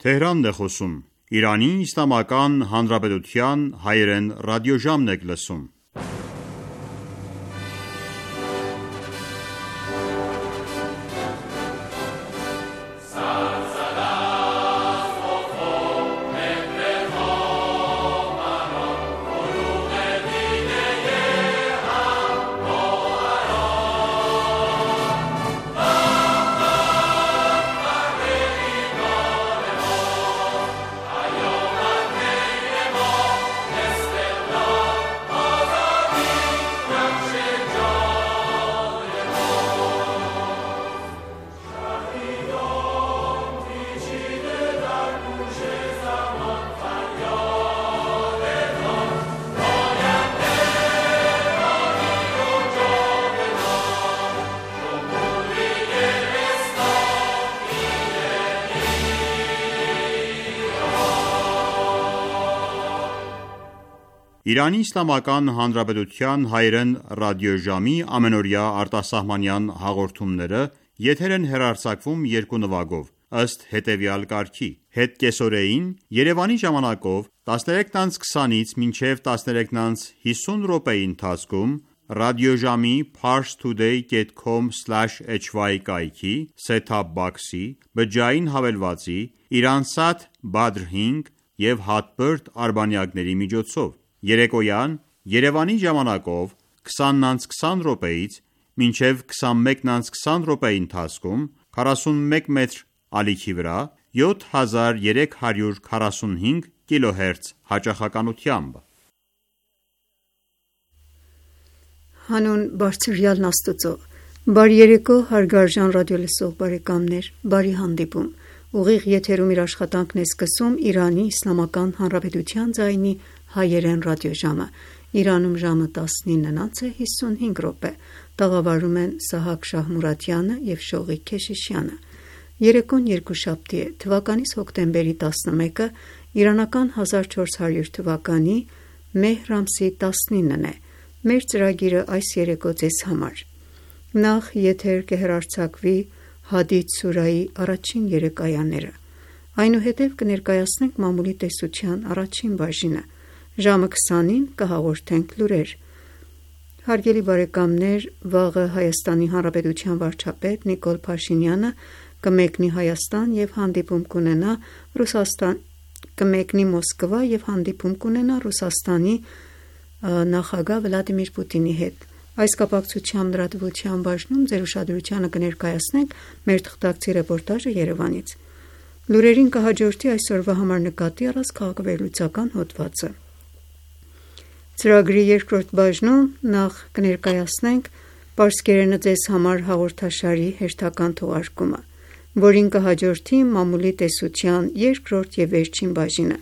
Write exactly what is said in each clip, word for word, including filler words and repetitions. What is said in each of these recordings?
Թեհրանն է խոսում։ Իրանի Իսլամական Հանրապետության հայերեն ռադիոժամն եք լսում։ Իրանի Իսլամական Հանրապետության հայերեն ռադիոժամի ամենօրյա արտասահմանյան հաղորդումները եթեր են հեռարձակվում երկու նվագով, ըստ հետևյալ կարգի. Հետկեսօրեին Երևանի ժամանակով տասներեքից քսանից մինչև տասներեքից հիսուն րոպեի ընթացքում ռադիոժամի parstoday dot com slash h y կայքի set-top box-ի, բջջային հավելվածի, Iransat Badr հինգ և Hotbird արբանյակների միջոցով։ Երեկոյան Երևանի ժամանակով քսանից քսան րոպեից մինչև քսանմեկից քսան րոպեի ընթացքում քառասունմեկ մետր ալիքի վրա յոթ հազար երեք հարյուր քառասունհինգ կիլոհերց հաճախականությամբ։ Հանուն Բարձրյալն Աստծո, բարի երեկո հարգարժան ռադիոլսող բարեկամներ, բարի հանդիպում։ Ուղիղ եթերում իր աշխատանքն է սկսում Իրանի Իսլամական Հանրապետության ձայնի հայերեն ռադիոժամը։ Իրանում ժամը տասնինը հիսունհինգ րոպե։ Տաղավարում են Սահակ Շահմուրադյանը և Շողիկ Քեշիշյանը։ Երեկոն երկուշաբթի է, թվականիս հոկտեմբերի տասնմեկը, իրանական հազար չորս հարյուր թվականի մեհր ամսի տասնինն է։ Մեր ծրագիրը այս երեկո ձեզ համար։ Նախ եթեր կհեռարձակվի Հադիդ սուրայի առաջին երեք այաները։ Այնուհետև կներկայացնենք մամուլի տեսության առաջին բաժինը։ Ժամը քսանին կհաղորդենք լուրեր։ Հարգելի բարեկամներ, վաղը Հայաստանի Հանրապետության վարչապետ Նիկոլ Փաշինյանը կմեկնի Հայաստան և հանդիպում կունենա Ռուսաստան կմեկնի Մոսկվա և հանդիպում կունենա Ռուսաստանի նախագահ Վլադիմիր Պուտինի հետ։ Այս կապակցությամբ լրատվության բաժնում ձեր ուշադրությանը կներկայացնենք մեր թղթակցի ռեպորտաժը Երևանից։ Լուրերին կհաջորդի այսօրվա համար նկատի առած քաղաքավերլուծական հոդվածը։ Ծրագրի երկրորդ բաժնում նախ կներկայացնենք Պարսկերենը ձեզ համար հաղորդաշարի հերթական թողարկումը, որին կհաջորդի մամուլի տեսության երկրորդ և վերջին բաժինը։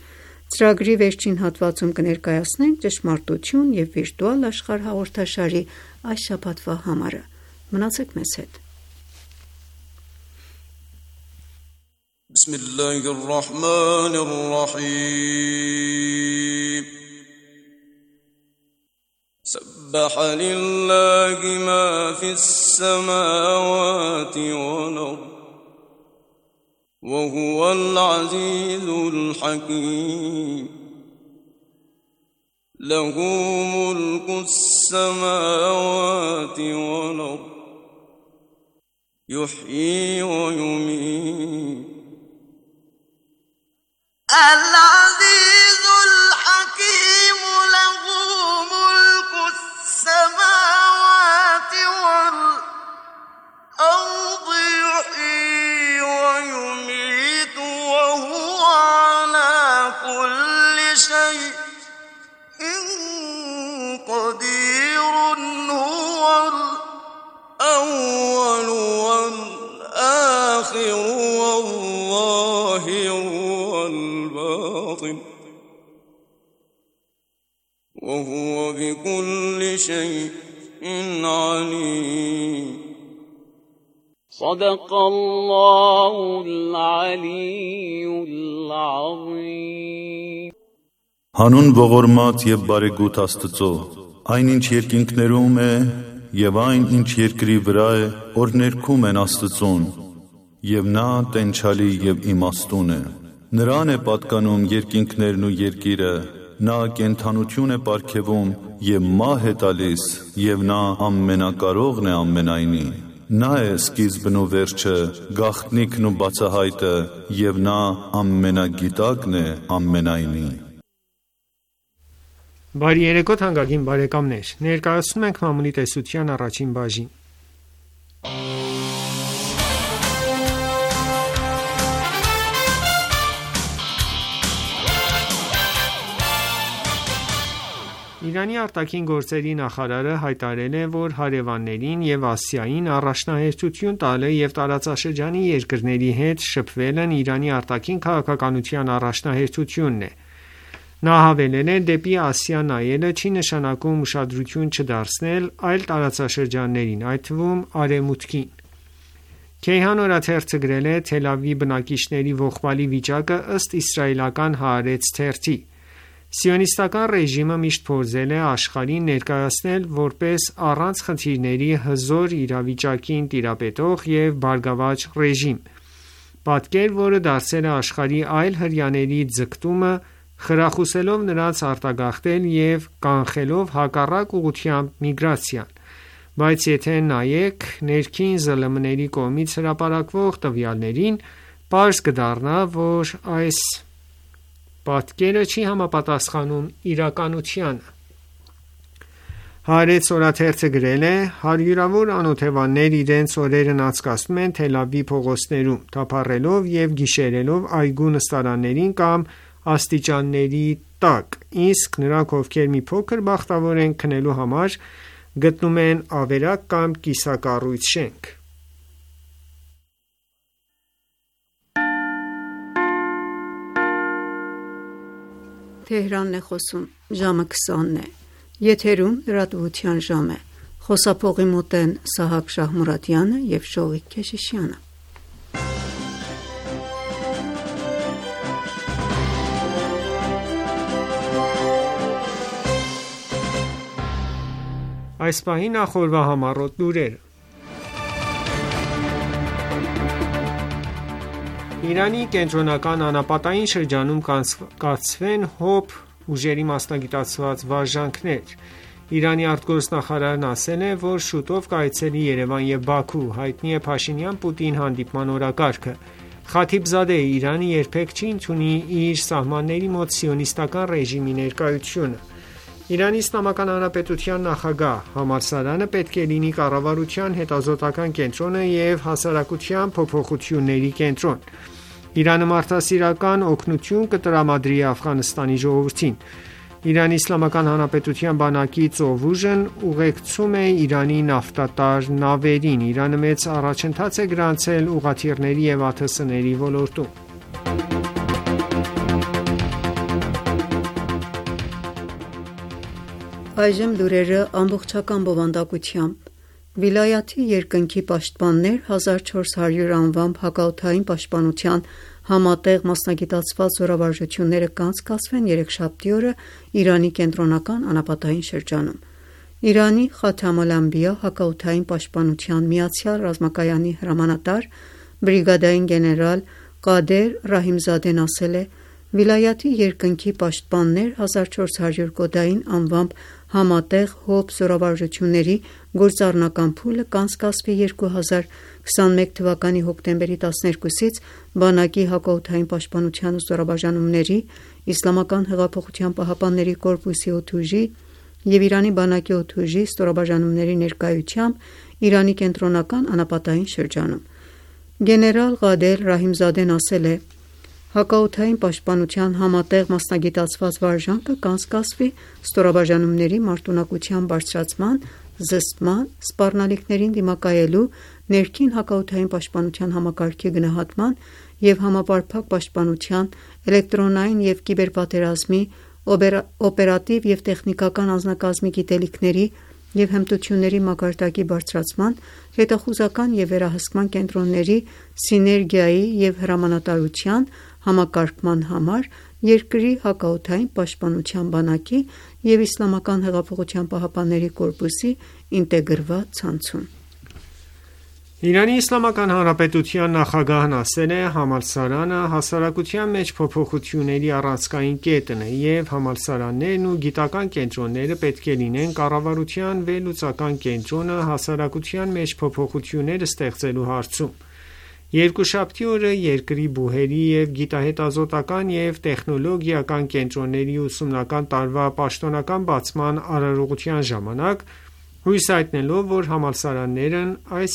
Ծրագրի վերջին հատվածում կներկայացնենք ճշմարտություն և վիրտուալ աշխարհ հաղորդաշարի այս շաբաթվա համարը։ Մնացեք մեզ հետ։ سبح لله ما في السماوات والأرض وهو العزيز الحكيم له ملك السماوات والأرض يحيي ويميت العزيز الحكيم له ملك السماوات والأرض يحيي ويميت وهو على كل شيء قدير هو الأول والآخر والظاهر والباطن وهو بكل شيء عليم صدق الله العلي العظيم Հանուն ողորմած և բարեգութ Աստծո, այն ինչ երկինքներում է և այն ինչ երկրի վրա է, որ ներքում են Աստծուն, և նա տենչալի և իմաստուն է։ Նրան է պատկանում երկինքներն ու երկիրը, նա կենդանություն է պարգևում և մահ է տալիս, և նա ամենակարողն է ամենայնի։ Նա է սկիզբն ու վերջը, գաղտնիքն ու բացահայտը, և նա ամենագիտակն է ամենայնի։ Բարի երեկո թանկագին բարեկամներ, ներկայացնում ենք մամուլի տեսության առաջին բաժին։ Իրանի արտաքին գործերի նախարարը հայտարարել է, որ հարևաններին և Ասիային առաջնահերթություն տալը և տարածաշրջանի երկրների հետ շփվելն Իրանի արտաքին քաղաքականության առաջնահերթությունն է։ Նա հավելել է. «Դեպի Ասիա նայելը չի նշանակում ուշադրություն չդարձնել այլ տարածաշրջաններին, այդ թվում Արևմուտքին»։ Քեյհան օրաթերթը գրել է. «Թել Ավիվի բնակիչների ողբալի վիճակը ըստ իսրայելական Հaaretz թերթի։ Սիոնիստական ռեժիմը միշտ փորձել է աշխարհին ներկայացնել որպես առանց խնդիրների հզոր իրավիճակին տիրապետող և բարգավաճ ռեժիմ։ Պատկեր, որը դարձել է աշխարհի այլ հրեաների ձգտումը, խրախուսելով նրանց արտագաղթել և կանխելով հակառակ ուղղությամբ միգրացիան։ Բայց եթե նայեք ներքին ԶԼՄ-ների կողմից հրապարակվող տվյալներին, պարզ կդառնա, որ այս պատկերը չի համապատասխանում իրականությանը»։ Haaretz օրաթերթը գրել է. «Հարյուրավոր անօթևաններ իրենց օրերն անցկացնում են Թել Ավիվի փողոցներում, թափառելով և գիշերելով այգու նստարաններին կամ աստիճանների տակ, իսկ նրանք, ովքեր մի փոքր բախտավոր են քնելու համար, գտնում են ավերակ կամ կիսակառույց շենք»։ Այս պահի նախօրվա համառոտ լուրերը։ Իրանի կենտրոնական անապատային շրջանում կայացվեն ՀՕՊ ուժերի մասնագիտացված վարժանքներ։ Իրանի արտգործնախարարն ասել է, որ շուտով կայցելի Երևան և Բաքու, հայտնի է Փաշինյան-Պուտին հանդիպման օրակարգը։ Խաթիբզադեը Իրանը երբեք չի ընդունի իր սահմանների մոտ սիոնիստական ռեժիմի ներկայությունը։ Իրանի Իսլամական Հանրապետության նախագահ. «Համալսարանը պետք է լինի կառավարության հետազոտական կենտրոնը և հասարակության փոփոխությունների կենտրոն»։ Իրանը մարդասիրական օգնություն կտրամադրի Աֆղանստանի ժողովրդին։ Իրանի Իսլամական Հանրապետության բանակի ծովուժն ուղեկցում է Իրանի նավթատար նավերին։ Իրանը մեծ առաջընթաց է գրանցել ուղղաթիռների և ԱԹՍ-ների ոլորտում։ Այժմ լուրերը ամբողջական բովանդակությամբ։ Վիլայաթի երկնքի պաշտպաններ հազար չորս հարյուր անվամբ հակաօդային պաշտպանության համատեղ մասնագիտացված զորավարժությունները կանցկացվեն երեքշաբթի օրը Իրանի կենտրոնական անապատային շրջանում։ Իրանի Խաթամ ալ-Անբիա հակաօդային պաշտպանության միացյալ ռազմակայանի հրամանատար բրիգադային գեներալ Qadr Rahimzadeh-ն ասել է. «Վիլայաթի երկնքի պաշտպաններ հազար չորս հարյուր կոդային անվամբ համատեղ ՀՕՊ զորավարժությունների գործառնական փուլը կանցկացվի երկու հազար քսաներկու թվականի հոկտեմբերի տասներկուսից բանակի հակաօդային պաշտպանության զորաբաժանումների, Իսլամական հեղափոխության պահապանների կորպուսի օդուժի և Իրանի բանակի օդուժի ստորաբաժանումների ներկայությամբ Իրանի կենտրոնական անապատային շրջանում»։ Գեներալ Qadr Rahimzadeh-ն ասել է. «Հակաօդային պաշտպանության համատեղ մասնագիտացված վարժանքը կանցկացվի ստորաբաժանումների մարտունակության բարձրացման, զսպման, սպառնալիքներին դիմակայելու, ներքին հակաօդային պաշտպանության համակարգի գնահատման և համապարփակ պաշտպանության, էլեկտրոնային և կիբերպատերազմի, օպերատիվ և տեխնիկական անձնակազմի գիտելիքների և հմտությունների մակարդակի բարձրացման, հետախուզական և վերահսկման կենտրոնների սիներգիայի և հրամանատարության համակարգման համար երկրի հակաօդային պաշտպանության բանակի և Իսլամական հեղափոխության պահապանների կորպուսի ինտեգրված ցանցում»։ Իրանի Իսլամական Հանրապետության նախագահն ասել է. «Համալսարանը հասարակության մեջ փոփոխությունների առանցքային կետն է, և համալսարաններն ու գիտական կենտրոնները պետք է լինեն կառավարության վերլուծական կենտրոնը հասարակության մեջ փոփոխություններ ստեղծելու հարցում»: Երկուշաբթի օրը երկրի բուհերի և գիտահետազոտական և տեխնոլոգիական կենտրոնների ուսումնական տարվա պաշտոնական բացման արարողության ժամանակ հույս հայտնելով, որ համալսարաններն այս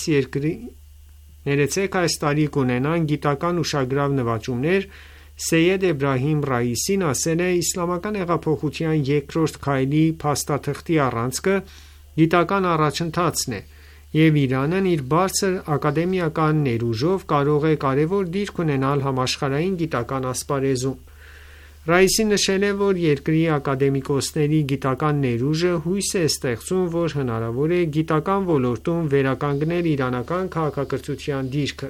տարի կունենան գիտական ուշագրավ նվաճումներ, Սեյեդ Էբրահիմ Ռայիսին ասել է. «Իսլամական հեղափոխության երկրորդ քայլի փաստաթղթի առանցքը գիտական առաջընթացն է, և Իրանն իր բարձր ակադեմիական ներուժով կարող է կարևոր դիրք ունենալ համաշխարհային գիտական ասպարեզում»: Ռայիսին նշել է, որ երկրի ակադեմիկոսների գիտական ներուժը հույս է ստեղծում, որ հնարավոր է գիտական ոլորտում վերականգնել իրանական քաղաքակրթության դիրքը: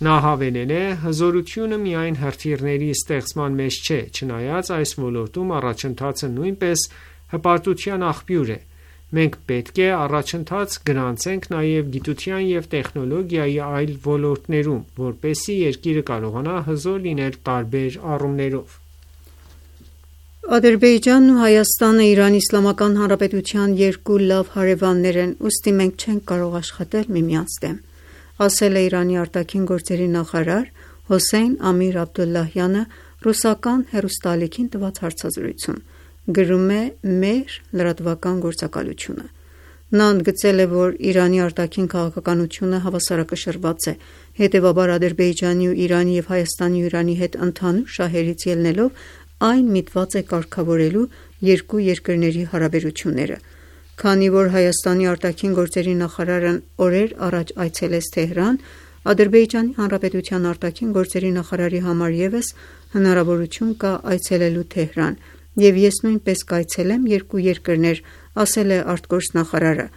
Նա հավելել է. «Հզորությունը միայն հրթիռների ստեղծման մեջ չէ, չնայած այս ոլորտում առաջընթացը նույնպես հպարտության աղբյուր է: Մենք պետք է առաջընթաց գրանցենք նաև գիտության և տեխնոլոգիայի այլ ոլորտներում, որպեսզի երկիրը կարողանա հզոր լինել տարբեր առումներով»: Ադրբեջանն ու Հայաստանը Իրանի Իսլամական Հանրապետության երկու լավ հարևաններ են, ուստի մենք չենք կարող աշխատել միմյանց դեմ, ասել է Իրանի արտաքին գործերի նախարար Հոսեյն Ամիր Աբդոլլահյանը ռուսական հեռուստաալիքին տված հարցազրույցում: Գրում է «Mehr» լրատվական գործակալությունը: Նա ընդգծել է, որ Իրանի արտաքին քաղաքականությունը հավասարակշռված է, հետևաբար Ադրբեջանի ու Իրանի և Հայաստանի ու Իրանի հետ ընդհանուր շահերից ելնելով այն միտված է կարգավորելու երկու երկրների հարաբերությունները: Քանի որ Հայաստանի արտաքին գործերի նախարարն օրեր առաջ այցելեց Թեհրան, Ադրբեջանի Հանրապետության արտաքին գործերի նախարարի համար ևս հնարավորություն կա այցելելու Թեհրան, և ես նույնպես կայցելեմ երկու երկրներ, ասել է արտգործնախարարը: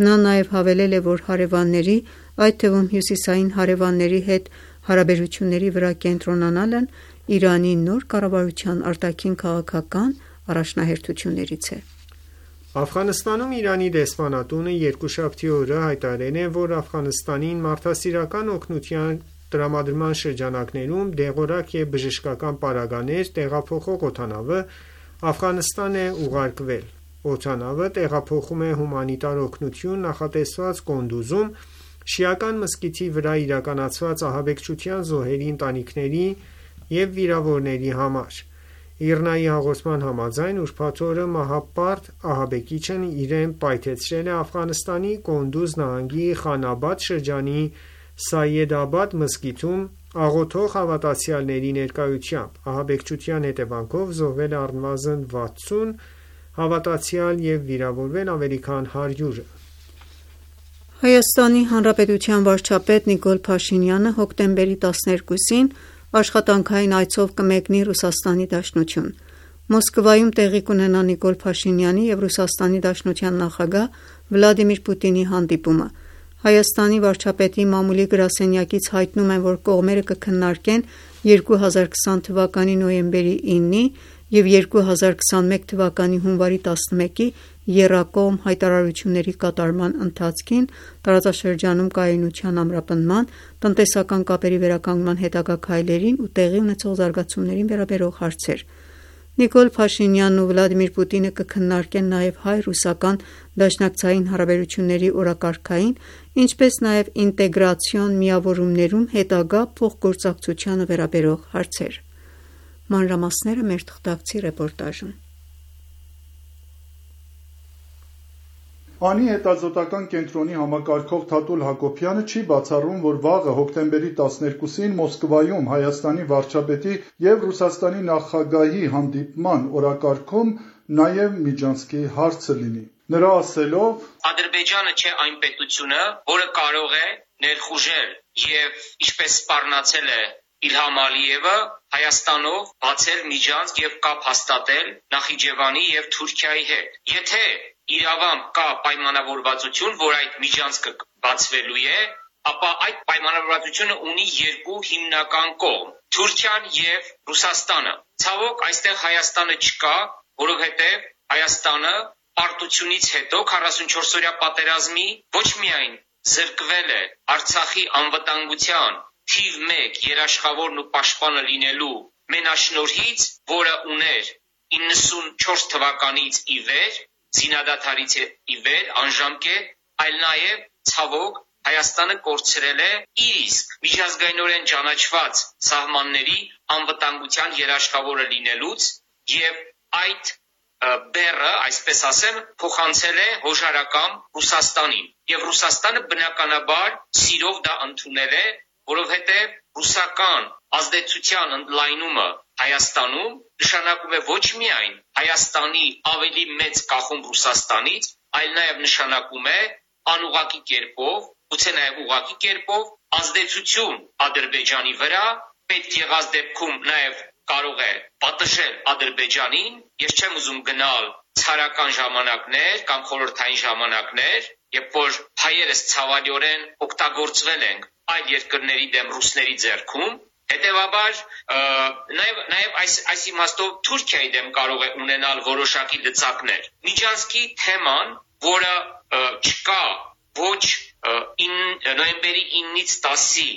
Նա նաև հավելել է, որ հարևանների, այդ թվում հյուսիսային հարևանների հետ հարաբերությունների վրա կենտրոնանալն Իրանի նոր կառավարության արտաքին քաղաքական առաջնահերթություններից է: Աֆղանստանում Իրանի դեսպանատունը երկուշաբթի օրը հայտարարել է, որ Աֆղանստանին մարդասիրական օգնության տրամադրման շրջանակներում դեղորայք և բժշկական պարագաներ տեղափոխող օդանավը Աֆղանստան է ուղարկվել: Օդանավը տեղափոխում է հումանիտար օգնություն նախատեսված Կոնդուզում շիական մզկիթի վրա իրականացված ահաբեկչության զոհերի ընտանիքների և վիրավորների համար: ԻՌՆԱ-ի հաղորդման համաձայն ուրբաթ օրը մահապարտ ահաբեկիչն իրեն պայթեցրել է Աֆղանստանի Կոնդուզ նահանգի Խանաբադ շրջանի Սայեդաբադ մզկիթում աղոթող հավատացյալների ներկայությամբ: Ահաբեկչության հետևանքով զոհվել է առնվազն վաթսուն հավատացյալ և վիրավորվել ավելի քան հարյուրը: Հայաստանի Հանրապետության վարչապետ Նիկոլ Փաշինյանը հոկտեմբերի տասներկուսին աշխատանքային այցով կմեկնի Ռուսաստանի Դաշնություն: Մոսկվայում տեղի կունենա Նիկոլ Փաշինյանի և Ռուսաստանի Դաշնության նախագահ Վլադիմիր Պուտինի հանդիպումը: Հայաստանի վարչապետի մամուլի գրասենյակից հայտնում են, որ կողմերը կքննարկեն երկու հազար քսան թվականի նոյեմբերի ինի և երկու հազար քսանմեկ թվականի հունվարի տասնմեկի եռակողմ հայտարարությունների կատարման ընթացքին տարածաշրջանում կայունության ամրապնդման, տնտեսական կապերի վերականգնման հետագա քայլերին ու տեղի ունեցող զարգացումներին վերաբերող հարցեր: Նիկոլ Փաշինյանն ու Վլադիմիր Պուտինը կքննարկեն նաև հայ-ռուսական դաշնակցային հարաբերությունների օրակարգային, ինչպես նաև ինտեգրացիոն միավորումներում հետագա փոխգործակցությանը վերաբերող հարցեր: Մանրամասները մեր թղթակցի ռեպորտաժում: ԱՆԻ հետազոտական կենտրոնի համակարգող Թաթուլ Հակոբյանը չի բացառում, որ վաղը հոկտեմբերի տասներկուսին Մոսկվայում Հայաստանի վարչապետի և Ռուսաստանի նախագահի հանդիպման օրակարգում նաև Միջանցքի հարցը լինի: Նրա ասելով. «Ադրբեջանը չէ այն պետությունը, որը կարող է ներխուժել և ինչպես սպառնացել է Իլհամ Ալիևը Հայաստանով բացել միջանցք և կապ հաստատել Նախիջևանի և Թուրքիայի հետ: Եթե իրավամբ կա պայմանավորվածություն, որ այդ միջանցքը բացվելու է, ապա այդ պայմանավորվածությունը ունի երկու հիմնական կողմ՝ Թուրքիան և Ռուսաստանը: Ցավոք այստեղ Հայաստանը չկա, որովհետև Հայաստանը պարտությունից հետո քառասունչորսօրյա պատերազմի ոչ միայն զրկվել է Արցախի անվտանգության թիվ մեկ երաշխավորն ու պաշտպանը լինելու մենաշնորհից, որը ուներ իննսունչորս թվականից ի վեր, զինադադարից ի վեր, անժամկետ, այլ նաև ցավոք Հայաստանը կորցրել է իր իսկ միջազգայինորեն ճանաչված սահմանների անվտանգության երաշխավորը լինելուց եւ այդ բեռը, այսպես ասեմ, փոխանցել է հոժարակամ Ռուսաստանին եւ Ռուսաստանը բնականաբար սիրով դա ընդունել է, որովհետեւ ռուսական ազդեցության ընդլայնումը Հայաստանում նշանակում է ոչ միայն Հայաստանի ավելի մեծ կախում Ռուսաստանից, այլ նաև նշանակում է անուղղակի կերպով, գուցե նաև ուղղակի կերպով ազդեցություն Ադրբեջանի վրա, պետք եղած դեպքում նաև կարող է պատժել Ադրբեջանին, ես չեմ ուզում գնալ ցարական ժամանակներ կամ խորհրդային ժամանակներ, երբ որ հայերս ցավալիորեն օգտագործվել ենք այլ երկրների դեմ ռուսների ձեռքում, հետևաբար նաև նաև այս այս իմաստով Թուրքիայի դեմ կարող է ունենալ որոշակի լծակներ։ Միջանցքի թեման, որը չկա ոչ նոյեմբերի իննից տասի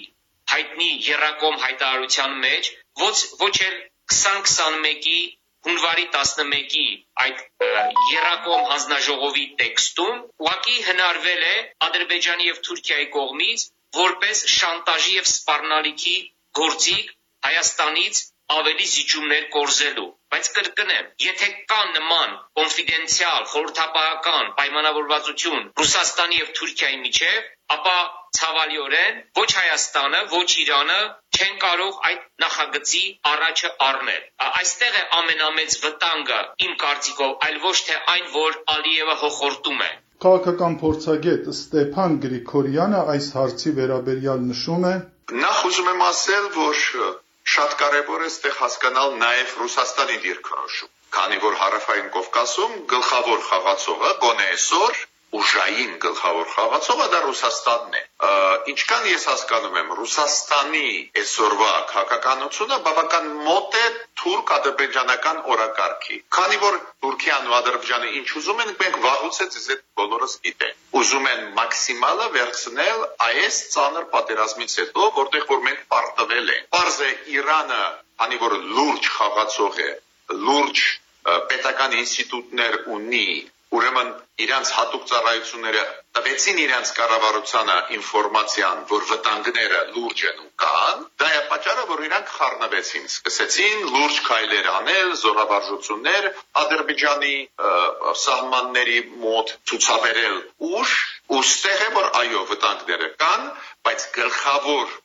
հայտնի եռակոմ հայտարարության մեջ, ոչ ոչ էլ քսան քսանմեկի հունվարի տասնմեկի այդ եռակոմ հանձնաժողովի տեքստում ուղղակի հնարվել է Ադրբեջանի եւ Թուրքիայի կողմից որպես շանտաժի եւ սպառնալիքի գործիք Հայաստանից ավելի զիջումներ կորզելու, բայց կրկնեմ, եթե կա նման կոնֆիդենցիալ, խորհրդապահական պայմանավորվածություն Ռուսաստանի եւ Թուրքիայի միջեւ, ապա ցավալիորեն ոչ Հայաստանը, ոչ Իրանը չեն կարող այդ նախագծի առաջը առնել։ Այստեղ է ամենամեծ վտանգը իմ կարծիքով, այլ ոչ թե այն, որ Ալիևը հոխորտում է։ Քաղաքական փորձագետ Ստեփան Գրիգորյանը այս հարցի վերաբերյալ նշում է. Նախ ուզում եմ ասել, որ շատ կարևոր է այստեղ հասկանալ նաև Ռուսաստանի դիրքորոշում, քանի որ Հարավային Կովկասում գլխավոր խաղացողը գոնե այսօր ուժային գլխավոր խաղացողը դա Ռուսաստանն է։ Ինչքան ես հասկանում եմ, Ռուսաստանի այսօրվա քաղաքականությունը բավական մոտ է թուրք-ադրբեջանական օրակարգի։ Քանի որ Թուրքիան ու Ադրբեջանը ինչ ուզում են, մենք վաղուց է ձեզ բոլորս գիտենք։ Ուզում են մաքսիմալը վերցնել այս ծանր պատերազմից հետո, որտեղ որ մենք պարտվել ենք։ Պարզ է Իրանը, քանի որ լուրջ խաղացող է, լուրջ պետական ինստիտուտներ ունի, ուրեմն իրանց հատուկ ծառայությունները տվեցին իրանց կառավարությանը ինֆորմացիան, որ վտանգները լուրջ են ու կան, դա է պատճառը, որ իրանք խառնվեցին, սկսեցին լուրջ քայլեր անել, զորավարժություններ Ադրբեջանի սահմանների մոտ ցուցաբերել ուժ, ու ստեղ է, որ այո, վտանգները կան, բայց գլխավոր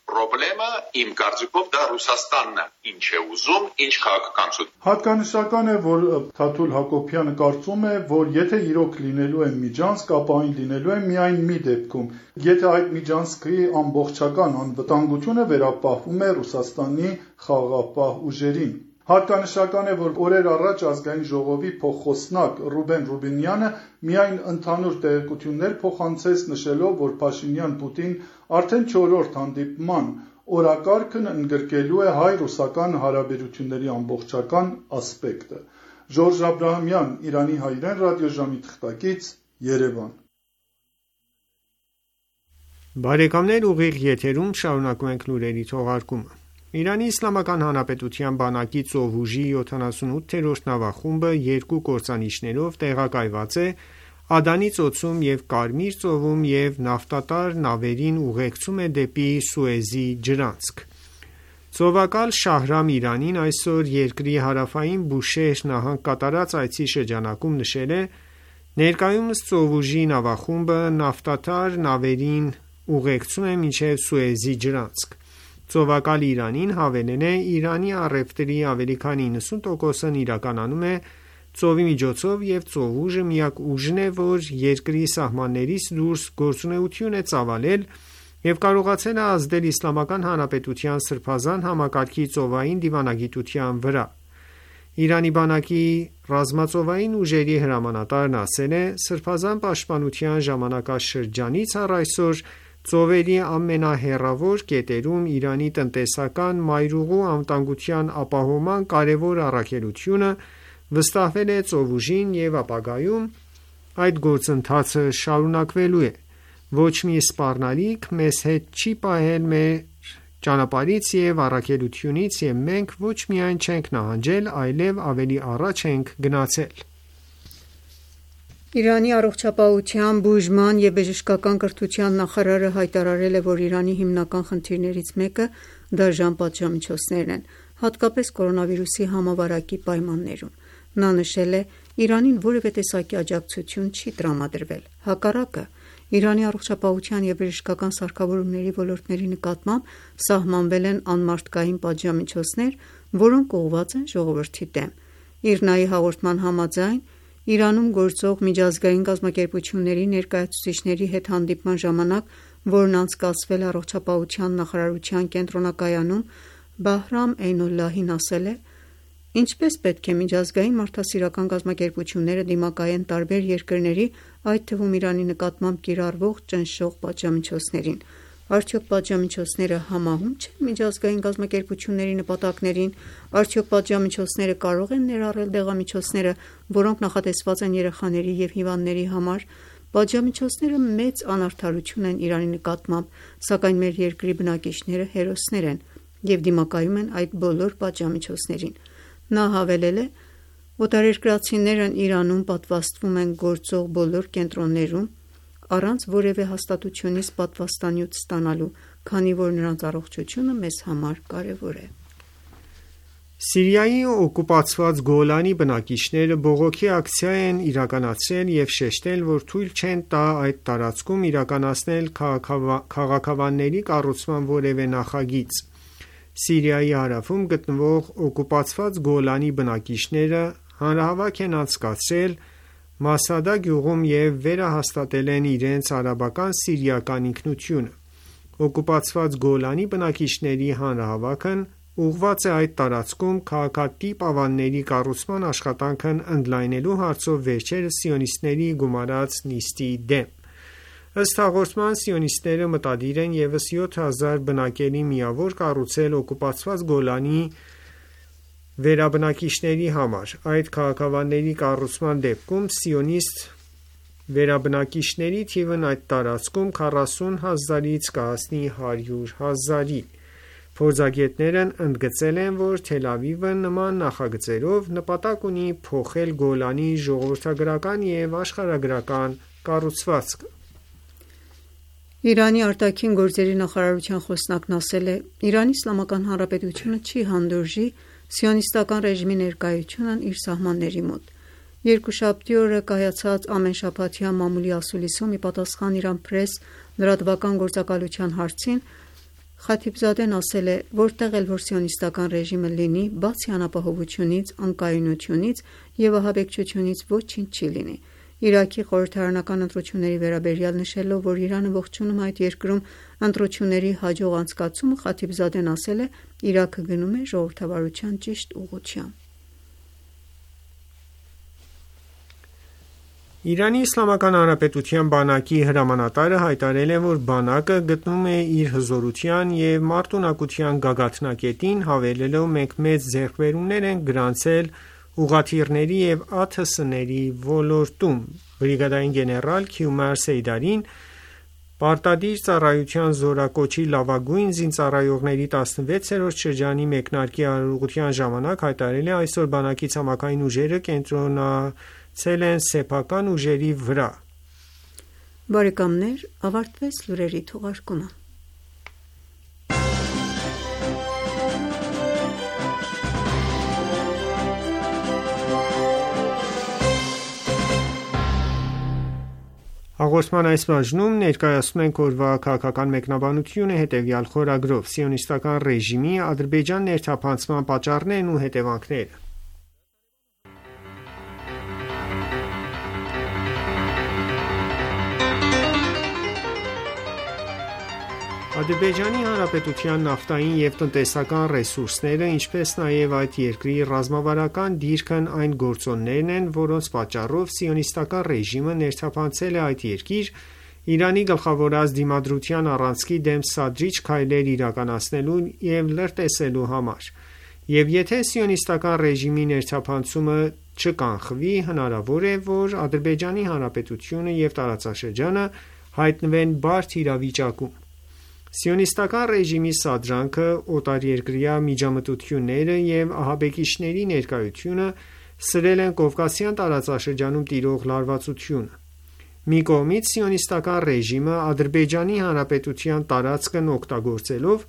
խնդրեմը իմ կարծիքով դա Ռուսաստանն է, ինչ է ուզում, ինչ քաղաքականություն։ Հատկանշական է, որ Թաթուլ Հակոբյանը կարծում է, որ եթե իրոք լինելու է միջանցք, ապա այն լինելու է միայն մի դեպքում, եթե այդ միջանցքի ամբողջական անվտանգությունը վերապահվում է Ռուսաստանի խաղաղապահ ուժերին։ Հատկանշական է, որ օրեր առաջ ազգային ժողովի փոխխոսնակ Ռուբեն Ռուբինյանը միայն ընդհանուր տեղեկություններ փոխանցեց նշելով, որ Փաշինյան-Պուտին արդեն չորրորդ հանդիպման օրակարգն ընդգրկելու է հայ-ռուսական հարաբերությունների ամբողջական ասպեկտը։ Ժորժ Աբրահամյան, Իրանի հայրեն ռադիոժամի թղթակից, Երևան։ Բարեկամներ, ուղիղ եթերում շարունակում ենք լուրերի թողարկումը։ Իրանի Իսլամական Հանրապետության բանակի ծովուժի յոթանասունութերորդ նավախումբը երկու կործանիչներով տեղակայված է Ադանի ծոցում և Կարմիր ծովում և նավթատար նավերին ուղեկցում է դեպի Սուեզի ջրանցք։ Ծովակալ Շահրամ Իրանին այսօր երկրի հարավային Բուշեհր նահանգ կատարած այցի շրջանակում նշել է. ներկայումս ծովուժի նավախումբը նավթատար նավերին ուղեկցում է մինչև Սուեզի ջրանցք։ Ծովակալ Իրանին հավելել է. Իրանի առևտրի ավելի քան իննսուն տոկոսն իրականանում է ծովի միջոցով և ծովուժը միակ ուժն է, որ երկրի սահմաններից դուրս գործունեություն է ծավալել և կարողացել է ազդել Իսլամական Հանրապետության սրբազան համակարգի ծովային դիվանագիտության վրա։ Իրանի բանակի ռազմածովային ուժերի հրամանատարն ասել է. Սրբազան պաշտպանության ժամանակաշրջանից առ այսօր ծովերի ամենահեռավոր կետերում Իրանի տնտեսական մայրուղու անվտանգության ապահովման կարևոր առաքելությունը վստահվել է ծովուժին և ապագայում այդ գործընթացը շարունակվելու է։ Ոչ մի սպառնալիք մեզ հետ չի պահել մեր ճանապարհից եւ առաքելությունից, եւ մենք ոչ միայն չենք նահանջել, այլև ավելի առաջ ենք գնացել։ Իրանի առողջապահության, բուժման եւ բժշկական կրթության նախարարը հայտարարել է, որ Իրանի հիմնական խնդիրներից մեկը դաժան պատժամիջոցներն են, հատկապես կորոնավիրուսի համավարակի պայմաններում։ Նա նշել է. Իրանին որևէ տեսակի աջակցություն չի տրամադրվել։ Հակառակը, Իրանի առողջապահության և բժշկական սարքավորումների ոլորտների նկատմամբ սահմանվել են անմարդկային պատժամիջոցներ, որոնք ուղղված են ժողովրդի դեմ։ ԻՌՆԱ-ի հաղորդման համաձայն, Իրանում գործող միջազգային կազմակերպությունների ներկայացուցիչների հետ հանդիպման ժամանակ, որն անցկացվել է առողջապահության նախարարության կենտրոնակայանում, Բահրամ Էյնոլլահին ասել է. Ինչպես պետք է միջազգային մարդասիրական կազմակերպությունները դիմակայեն տարբեր երկրների, այդ թվում Իրանի նկատմամբ կիրառվող ճնշող պատժամիջոցներին։ Արդյոք պատժամիջոցները համահունչ են միջազգային կազմակերպությունների նպատակներին, արդյոք պատժամիջոցները կարող են ներառել դեղամիջոցները, որոնք նախատեսված են երեխաների և հիվանդների համար։ Պատժամիջոցները մեծ անարդարություն են Իրանի նկատմամբ, սակայն մեր երկրի բնակիչները հերոսներ են և դիմակայում են այդ բոլոր պատժամիջոցներին։ Նա հավելել է. օտարերկրացիներն Իրանում պատվաստվում են գործող բոլոր կենտրոններում առանց որևէ հաստատությունից պատվաստանյութ ստանալու, քանի որ նրանց առողջությունը մեզ համար կարևոր է։ Սիրիայի օկուպացված Գոլանի բնակիչները բողոքի ակցիա են իրականացրել և շեշտել, որ թույլ չեն տա այդ տարածքում իրականացնել քաղաքավանների կառուցման որևէ նախագիծ։ Սիրիայի հարավում գտնվող օկուպացված Գոլանի բնակիչները հանրահավաք են անցկացրել Մասադա գյուղում և վերահաստատել են իրենց արաբական սիրիական ինքնությունը։ Օկուպացված Գոլանի բնակիչների հանրահավաքն ուղղված է այդ տարածքում քաղաքատիպ ավանների կառուցման աշխատանքն ընդլայնելու հարցով վերջերս սիոնիստների գումարած նիստի դեմ։ Ըստ հաղորդման, սիոնիստները մտադիր են ևս յոթ հազար բնակելի միավոր կառուցել օկուպացված Գոլանի վերաբնակիչների համար։ Այդ քաղաքավանների կառուցման դեպքում սիոնիստ վերաբնակիչների թիվն այդ տարածքում քառասուն հազարից կհասնի հարյուր հազարի։ Փորձագետներն ընդգծել են, որ Թել Ավիվը նման նախագծերով նպատակ ունի փոխել Գոլանի ժողովրդագրական և աշխարհագրական կառուցվածքը։ Իրանի արտաքին գործերի նախարարության խոսնակն ասել է. Իրանի Իսլամական Հանրապետությունը չի հանդուրժի սիոնիստական ռեժիմի ներկայությունն իր սահմանների մոտ։ Երկուշաբթի օրը կայացած ամենշաբաթյա մամուլի ասուլիսում ի պատասխան Իրան Պրես լրատվական գործակալության հարցին Խաթիբզադեն ասել է. որտեղ էլ որ սիոնիստական ռեժիմը լինի, բացի անապահովությունից, անկայունությունից և ահաբեկչությունից ոչինչ չի լինի։ Իրաքի խորհրդարանական ընտրությունների վերաբերյալ նշելով, որ Իրանը ողջունում է այդ երկրում ընտրությունների հաջող անցկացումը, Խաթիբզադեն ասել է. Իրաքը գնում է ժողովրդավարության ճիշտ ուղղությամբ։ Իրանի Իսլամական Հանրապետության բանակի հրամանատարը հայտարարել է, որ բանակը գտնում է իր հզորության և մարտունակության գագաթնակետին, հավելելով. մենք մեծ ձեռքբերումներ ենք գրանցել ուղղաթիռների և ԱԹՍ-ների ոլորտում։ Բրիգադային գեներալ Քյումար Սեյդարին պարտադիր ծառայության զորակոչի լավագույն զինծառայողների տասնվեցերորդ շրջանի մեկնարկի արարողության ժամանակ հայտարարել է. այսօր բանակի ցամաքային ուժերը կենտրոնացել են սեփական ուժերի վրա։ Բարեկամներ, ավարտվեց լուրերի թողարկումը։ Հաղորդման այս բաժնում ներկայացնում ենք օրվա քաղաքական մեկնաբանությունը հետևյալ խորագրով. Սիոնիստական ռեժիմի Ադրբեջան ներթափանցման պատճառներն ու հետևանքները։ Ադրբեջանի Հանրապետության նավթային և տնտեսական ռեսուրսները, ինչպես նաև այդ երկրի ռազմավարական դիրքն այն գործոններն են, որոնց պատճառով սիոնիստական ռեժիմը ներթափանցել է այդ երկիր Իրանի գլխավորած դիմադրության առանցքի դեմ սադրիչ քայլեր իրականացնելու և լրտեսելու համար։ Եվ եթե սիոնիստական ռեժիմի ներթափանցումը չկանխվի, հնարավոր է, որ Ադրբեջանի Հանրապետությունը և տարածաշրջանը հայտնվեն բարդ իրավիճակում։ Սիոնիստական ռեժիմի սադրանքը, օտարերկրյա միջամտությունները և ահաբեկիչների ներկայությունը սրել են Կովկասյան տարածաշրջանում տիրող լարվածությունը։ Մի կողմից սիոնիստական ռեժիմը Ադրբեջանի Հանրապետության տարածքն օգտագործելով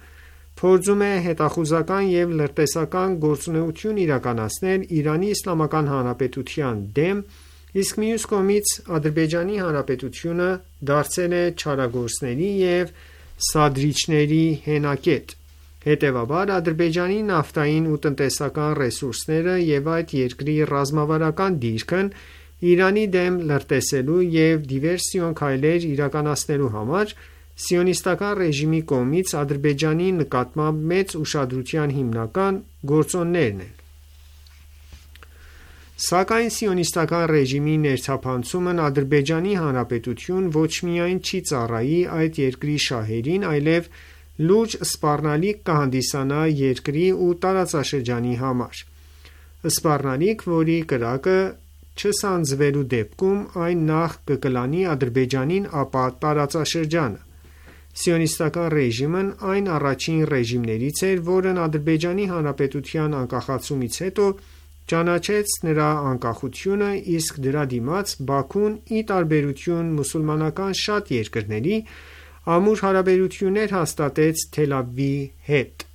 փորձում է հետախուզական և լրտեսական գործունեություն իրականացնել Իրանի Իսլամական Հանրապետության դեմ, իսկ մյուս կողմից Ադրբեջանի Հանրապետությունը դարձել է չարագործների և սադրիչների հենակետ։ Հետևաբար, Ադրբեջանի նավթային ու տնտեսական ռեսուրսները և այդ երկրի ռազմավարական դիրքն Իրանի դեմ լրտեսելու և դիվերսիոն քայլեր իրականացնելու համար սիոնիստական ռեժիմի կողմից Ադրբեջանի նկատմամբ մեծ ուշադրության հիմնական գործոններն են։ Սակայն սիոնիստական ռեժիմի ներթափանցումն Ադրբեջանի Հանրապետություն ոչ միայն չի ծառայի այդ երկրի շահերին, այլև լուրջ սպառնալիք կհանդիսանա երկրի ու տարածաշրջանի համար։ Սպառնալիք, որի կրակը չսանձվելու դեպքում այն նախ կկլանի Ադրբեջանին, ապա տարածաշրջանը։ Սիոնիստական ռեժիմն այն առաջին ռեժիմներից էր, որն Ադրբեջանի Հանրապետության անկախացումից հետո ճանաչեց նրա անկախությունը, իսկ դրա դիմաց Բաքուն, ի տարբերություն մուսուլմանական շատ երկրների, ամուր հարաբերություններ հաստատեց Թել Ավիվի հետ։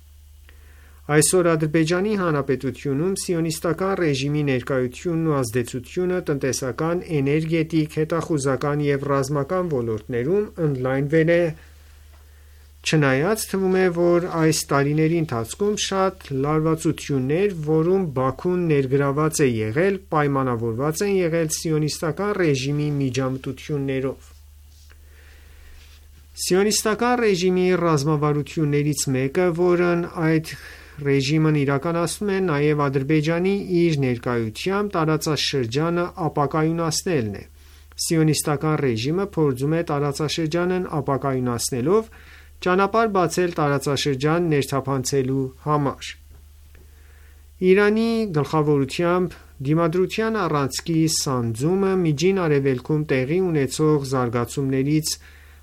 Այսօր Ադրբեջանի Հանրապետությունում սիոնիստական ռեժիմի ներկայությունն ու ազդեցությունը տնտեսական, էներգետիկ, հետախուզական և ռազմական ոլորտներում ընդլայնվել է, չնայած թվում է, որ այս տարիների ընթացքում շատ լարվածություններ, որում Բաքուն ներգրավված է եղել, պայմանավորված են եղել սիոնիստական ռեժիմի միջամտություններով։ Սիոնիստական ռեժիմի ռազմավարություններից մեկը, որն այդ ռեժիմն իրականացնում է նաև Ադրբեջանի իր ներկայությամբ տարածաշրջանը ապակայունացնելն է։ Սիոնիստական ռեժիմը փորձում է տարածաշրջանն ապակայունացնելով ճանապարհ բացել տարածաշրջան ներթափանցելու համար։ Իրանի գլխավորությամբ Դիմադրության առանցքի սանձումը Միջին Արևելքում տեղի ունեցող զարգացումներից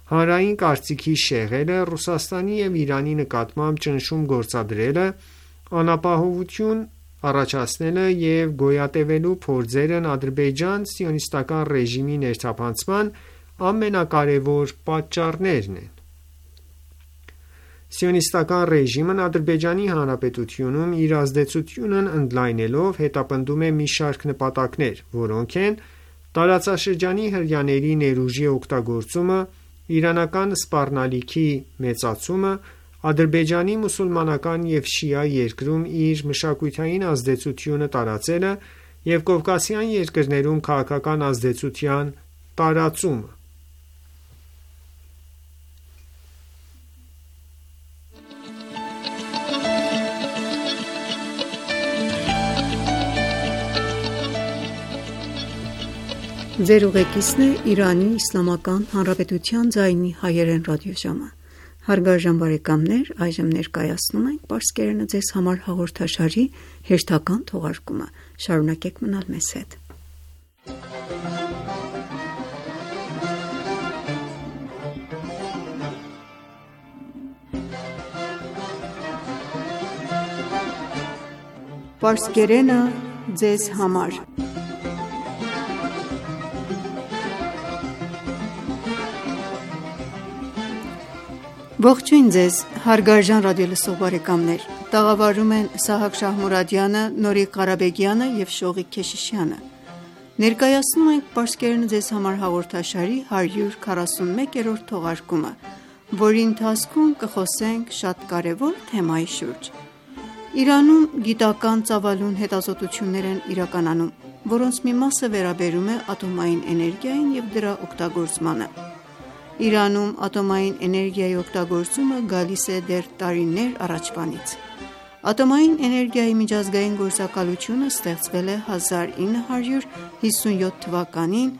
հանրային կարծիքի շեղելը, Ռուսաստանի և Իրանի նկատմամբ ճնշում գործադրելը, անապահովություն առաջացնելը և գոյատևելու փորձերն Ադրբեջան սիոնիստական ռեժիմի ներթափանցման ամենակարևոր պատճառներն են։ Սիոնիստական ռեժիմն Ադրբեջանի Հանրապետությունում իր ազդեցությունն ընդլայնելով հետապնդում է մի շարք նպատակներ, որոնք են տարածաշրջանի հրեաների ներուժի օգտագործումը, իրանական սպառնալիքի մեծացումը, Ադրբեջանի մուսուլմանական և շիա երկրում իր մշակութային ազդեցությունը տարածելը և կովկասյան երկրներում քաղաքական ազդեցության տարածումը։ Ձեր ուղեկիցն է Իրանի Իսլամական Հանրապետության ձայնի հայերեն ռադիոժամը։ Հարգարժան բարեկամներ, այժմ ներկայացնում ենք Պարսկերենը ձեզ համար հաղորդաշարի հերթական թողարկումը։ Շարունակեք մնալ մեզ հետ։ Պարսկերենը ձեզ համար։ Ողջույն ձեզ, հարգարժան ռադիոլսող բարեկամներ։ Տաղավարում են Սահակ Շահմուրադյանը, Նորիկ Ղարաբեգյանը և Շողիկ Քեշիշյանը։ Ներկայացնում ենք Պարսկերենը ձեզ համար հաղորդաշարի հարյուր քառասունմեկերորդ թողարկումը, որի ընթացքում կխոսենք շատ կարևոր թեմայի շուրջ։ Իրանում գիտական ծավալուն հետազոտություններ են իրականանում, որոնց մի մասը վերաբերում է ատոմային էներգիային և դրա օգտագործմանը։ Իրանում ատոմային էներգիայի օգտագործումը գալիս է դեռ տարիներ առաջվանից։ Ատոմային էներգիայի միջազգային գործակալությունը ստեղծվել է հազար ինը հարյուր հիսունյոթ թվականին,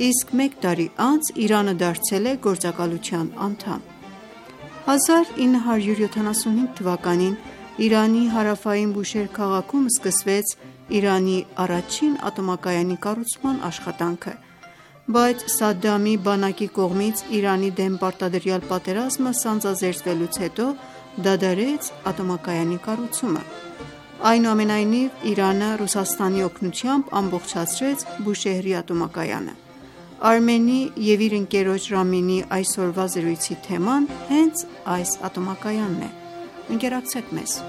իսկ մեկ տարի անց Իրանը դարձել է գործակալության անդամ։ հազար ինը հարյուր յոթանասունհինգ թվականին Իրանի հարավային Բուշեհր քաղաքում սկսվեց Իրանի առաջին ատոմակայանի կառուցման աշխատանքը։ Բայց Սադդամի բանակի կողմից Իրանի դեմ պարտադրյալ պատերազմը սանձազերծվելուց հետո դադարեց ատոմակայանի կառուցումը։ Այնուամենայնիվ Իրանը Ռուսաստանի օգնությամբ ամբողջացրեց Բուշեհրի ատոմակայանը։ Արմենի և իր ընկերոջ Ռամինի այսօրվա զրույցի թեման հենց այս ատոմակայանն է։ Ընկերակցեք մեզ։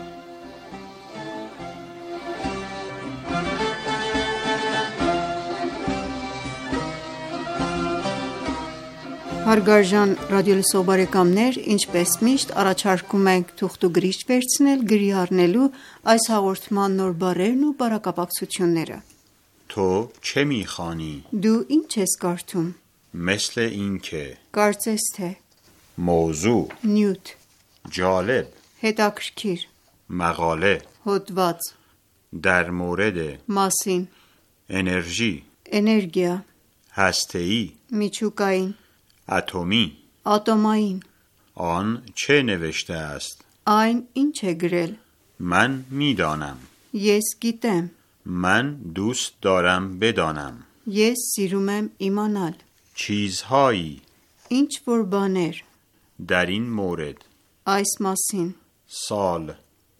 Հարգարժան ռադիոլսող բարեկամներ, ինչպես միշտ առաջարկում ենք թուղթուգրիչ վերցնել գրի առնելու այս հաղորդման նոր բառերն ու բառակապակցությունները։ تو چه می‌خوانی؟ Դու ինչ ես կարդում? مثل اینکه Կարծես թե موضوع նյութ جالب հետաքրքիր مقاله հոդված در مورد մասին انرژی էներգիա هسته‌ای միջուկային اتمی ատոմային آن چه نوشته است؟ այն ինչ է գրել من می‌دانم ես գիտեմ من دوست دارم بدانم ես սիրում եմ իմանալ چیزهایی ինչ որ բաներ در این مورد այս մասին سال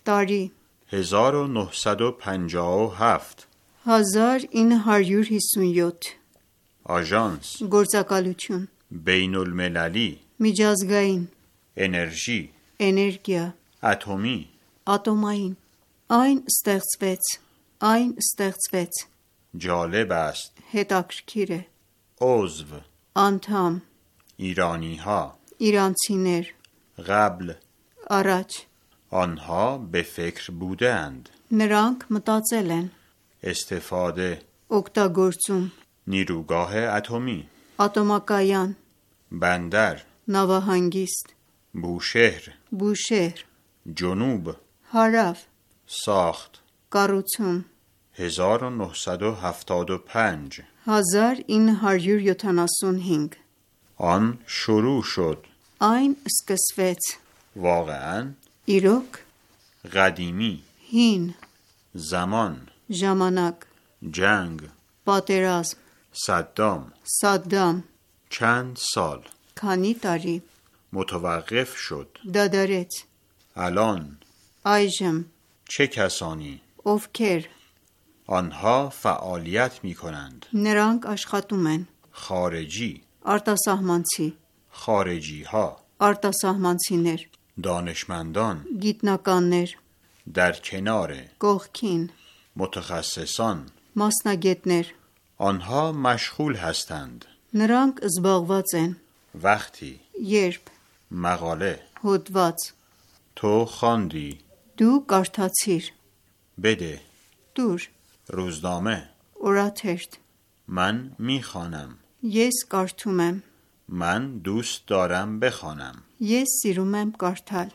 տարի هزار و نهصد و پنجاه و هفت հազար ինը հարյուր հիսունյոթ آژانس գործակալություն بین المللی միջազգային انرژی էներգիա اتمی ատոմային այն ստեղծվեց այն ստեղծվեց جالب است հետաքրքիր է عضو անդամ ایرانی ها իրանցիներ قبل առաջ آنها به فکر بودند նրանք մտածել են استفاده օգտագործում نیروگاه اتمی ատոմակայան بندر նավահանգիստ بوشهر բուշեհր جنوب հարավ ساخت կառուցում هزار و نهصد و هفتاد و پنج հազար ինը հարյուր յոթանասունհինգ آن شروع شد այն սկսվեց واقعا իրոք قدیمی հին زمان ժամանակ جنگ պատերազմ صدام Սադդամ چند سال քանի տարի متوقف شد դադարեց الان այժմ چه کسانی ովքեր آنها فعالیت می کنند նրանք աշխատում են خارجی արտասահմանցի خارجی ها արտասահմանցիներ دانشمندان գիտնականներ در کنار կողքին متخصصان մասնագետներ آنها مشغول هستند նրանք զբաղված են وقتی երբ مقاله հոդված تو خواندی դու կարդացիր بده դուր روزنامه օրաթերթ من میخوانم ես կարդում եմ من دوست دارم بخوانم ես սիրում եմ կարդալ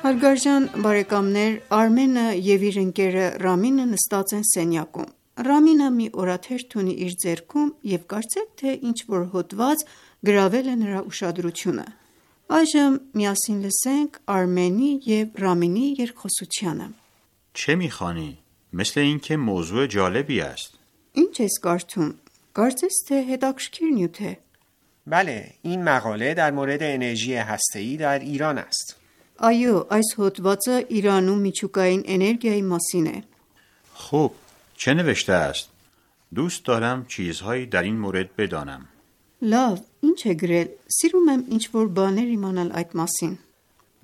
Հարգարժան բարեկամներ, Արմենը և իր ընկերը Ռամինը նստած են սենյակում։ Ռամինը մի օրաթերթ ունի իր ձեռքում և կարծեք թե ինչ-որ հոդված գրավել է նրա ուշադրությունը։ Այժմ միասին լսենք Արմենի և Ռամինի երկխոսությանը։ چه میخوانی؟ مثل اینکه موضوع جالبی است Ինչ ես կարդում? Կարծես թե հետաքրքիր նյութ է։ بله، این مقاله در مورد انرژی هسته‌ای در ایران است. Այո, այս հոդվածը Իրանում միջուկային էներգիայի մասին է։ خوب چه نوشته است؟ دوست دارم چیزهایی در این مورد بدانم Լավ, ինչ է գրել։ Սիրում եմ ինչ-որ բաներ իմանալ այդ մասին։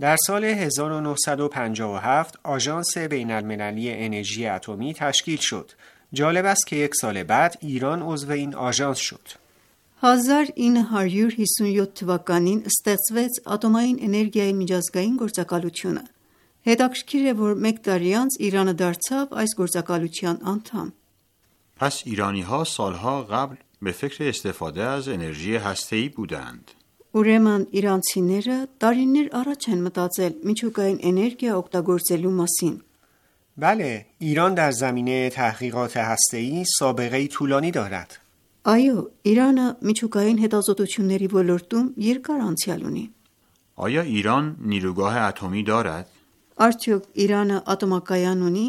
در سال هزار و نهصد و پنجاه و هفت آژانس بین المللی انرژی اتمی تشکیل شد. جالب است که یک سال بعد ایران عضو این آژانس شد. հազար ինը հարյուր հիսունյոթ թվականին ստեղծվեց ատոմային էներգիայի միջազգային գործակալությունը։ Հետաքրքիր է, որ մեկ տարի անց Իրանը դարձավ այս գործակալության անդամ։ پس ایرانی ها سالها قبل به فکر استفاده از انرژی هسته‌ای بودند Ուրեմն իրանցիները տարիներ առաջ են մտածել միջուկային էներգիա օգտագործելու մասին։ بله، ایران در زمینه تحقیقات هسته‌ای سابقه‌ای طولانی دارد. Այո, Իրանը միջուկային հետազոտությունների ոլորտում երկար անցյալ ունի։ آیا ایران نیروگاه اتمی دارد؟ Արդյոք Իրանը ատոմակայան ունի؟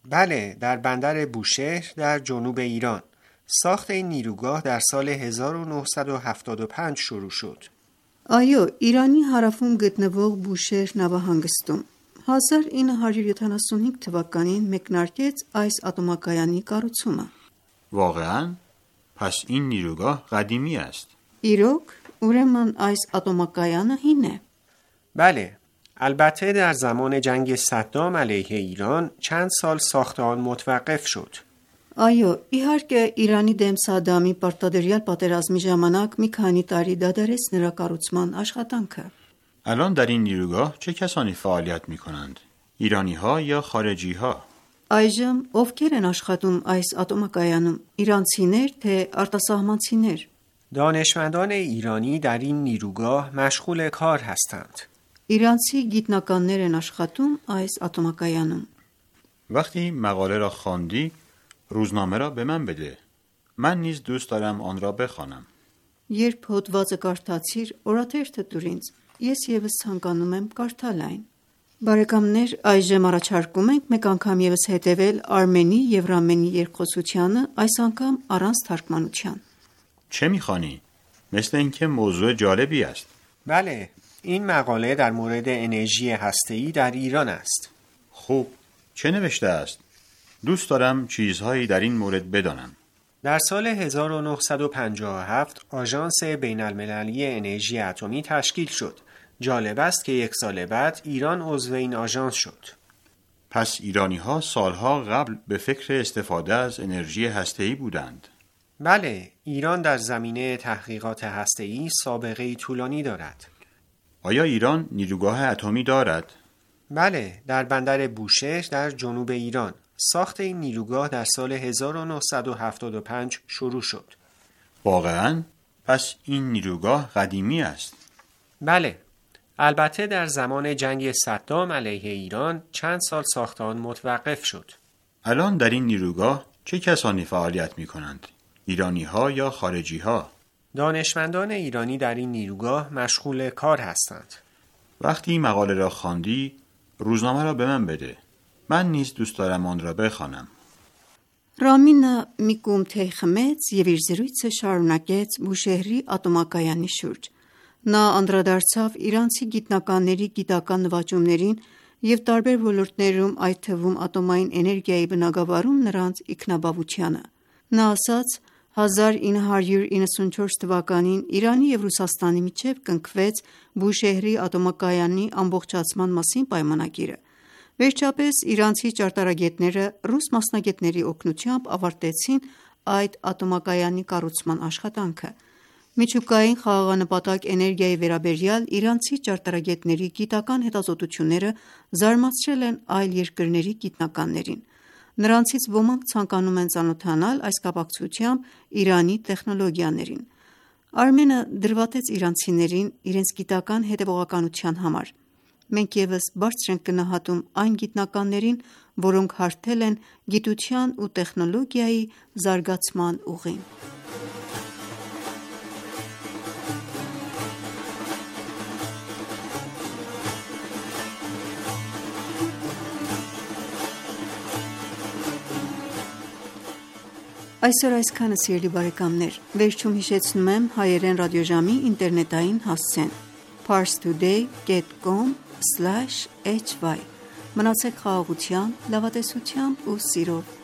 بله، در بندر بوشهر در جنوب ایران. ساخت این نیروگاه در سال هزار و نهصد و هفتاد و پنج شروع شد. Այո, Իրանի հարավում գտնվող Բուշեհր նավահանգստում հազար ինը հարյուր յոթանասունհինգ թվականին մեկնարկեց այս ատոմակայանի կառուցումը։ واقعا؟ پس این نیروگاه قدیمی است. Իրոք, ուրեմն այս ատոմակայանը հին է։ بله، البته در زمان جنگ صدام علیه ایران چند سال ساخت آن متوقف شد. Այո, իհարկե Իրանի դեմ Սադամի պարտադրյալ պատերազմի ժամանակ մի քանի տարի դադարեց նրա կառուցման աշխատանքը։ الان در این نیروگاه چه کسانی فعالیت می کنند؟ ایرانی ها یا خارجی ها؟ Այժմ ովքեր են աշխատում այս ատոմակայանում, իրանցիներ թե արտասահմանցիներ։ دانشمندان ایرانی در این نیروگاه مشغول کار هستند. Իրանցի գիտնականներ են աշխատում այս ատոմակայանում։ وقتی مقاله را خواندی روزنامه را به من بده. من نیز دوست دارم آن را بخوانم. Երբ հոդվածը կարդացիր, օրաթերթը տուր ինձ։ Ես եւս ցանկանում եմ կարդալ այն։ Բարեկամներ, այժմ առաջարկում ենք մեկ անգամ եւս հետևել Արմենի եւ Ռամենի երկխոսությանը, այս անգամ առանց թարգմանության։ چه میخوانی؟ مثل اینکه موضوع جالبی است. بله، این مقاله در مورد انرژی هسته‌ای در ایران است. خوب، چه نوشته است؟ دوست دارم چیزهایی در این مورد بدانم. در سال هزار و نهصد و پنجاه و هفت آژانس بین المللی انرژی اتمی تشکیل شد. جالب است که یک سال بعد ایران عضو این آژانس شد. پس ایرانی ها سالها قبل به فکر استفاده از انرژی هسته‌ای بودند. بله، ایران در زمینه تحقیقات هسته‌ای سابقه‌ای طولانی دارد. آیا ایران نیروگاه اتمی دارد؟ بله، در بندر بوشهر در جنوب ایران. ساخت این نیروگاه در سال هزار و نهصد و هفتاد و پنج شروع شد. واقعاً؟ پس این نیروگاه قدیمی است. بله، البته در زمان جنگ صدام علیه ایران چند سال ساخت آن متوقف شد. الان در این نیروگاه چه کسانی فعالیت می کنند؟ ایرانی ها یا خارجی ها؟ دانشمندان ایرانی در این نیروگاه مشغول کار هستند. وقتی مقاله را خواندی روزنامه را به من بده. من نیز دوست دارم آن را بخوانم. Ռամինը մի կում թեյ խմեց եւ իր զրույցը շարունակեց Բուշեհրի ատոմակայանի շուրջ։ Նա անդրադարձավ իրանցի գիտնականների գիտական նվաճումներին եւ տարբեր ոլորտներում, այդ թվում ատոմային էներգիայի բնագավառում նրանց ինքնաբավությանը։ Նա ասաց. հազար ինը հարյուր իննսունչորս թվականին Իրանի եւ Ռուսաստանի միջև կնքվեց Բուշեհրի ատոմակայանի ամբողջացման մասին պայմանագիրը։ Վերջապես իրանցի ճարտարագետները ռուս մասնագետների օգնությամբ ավարտեցին այդ ատոմակայանի կառուցման աշխատանքը։ Միջուկային խաղաղանպատակ էներգիայի վերաբերյալ իրանցի ճարտարագետների գիտական հետազոտությունները զարմացրել են այլ երկրների գիտնականներին։ Նրանցից ոմանք ցանկանում են ծանոթանալ այս կապակցությամբ Իրանի տեխնոլոգիաներին։ Արմենը դրվատեց իրանցիներին իրենց գիտական հետևողականության համար։ Մենք ևս բարձր ենք գնահատում այն գիտնականներին, որոնք հարթել են գիտության ու տեխնոլոգիայի զարգացման ուղին։ Այսօր այսքանը, սիրելի բարեկամներ, վերջում հիշեցնում եմ հայերեն ռադիոժամի ինտերնետային հասցեն parstoday dot com slash h y Մնացեք խաղաղությամբ, լավատեսությամբ ու սիրով։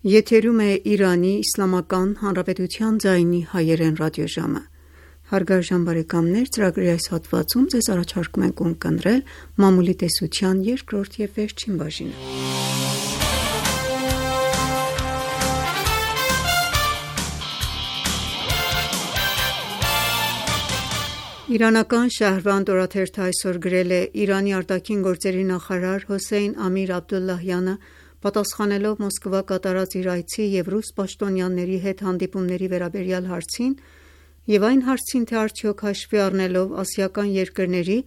Եթերում է Իրանի Իսլամական Հանրապետության ձայնի հայերեն ռադիոժամը։ Հարգարժան բարեկամներ, ծրագրի այս հատվածում ձեզ առաջարկում ենք ունկնդրել մամուլի տեսության երկրորդ և վերջին բաժինը։ Իրանական Շահրվանդ օրաթերթը այսօր գրել է. Իրանի արտաքին գործերի նախարար Հոսեյն Ամիր Աբդոլլահյանը Պատասխանելով Մոսկվա կատարած իր այցի և ռուս պաշտոնյաների հետ հանդիպումների վերաբերյալ հարցին և այն հարցին, թե արդյոք հաշվի առնելով ասիական երկրների,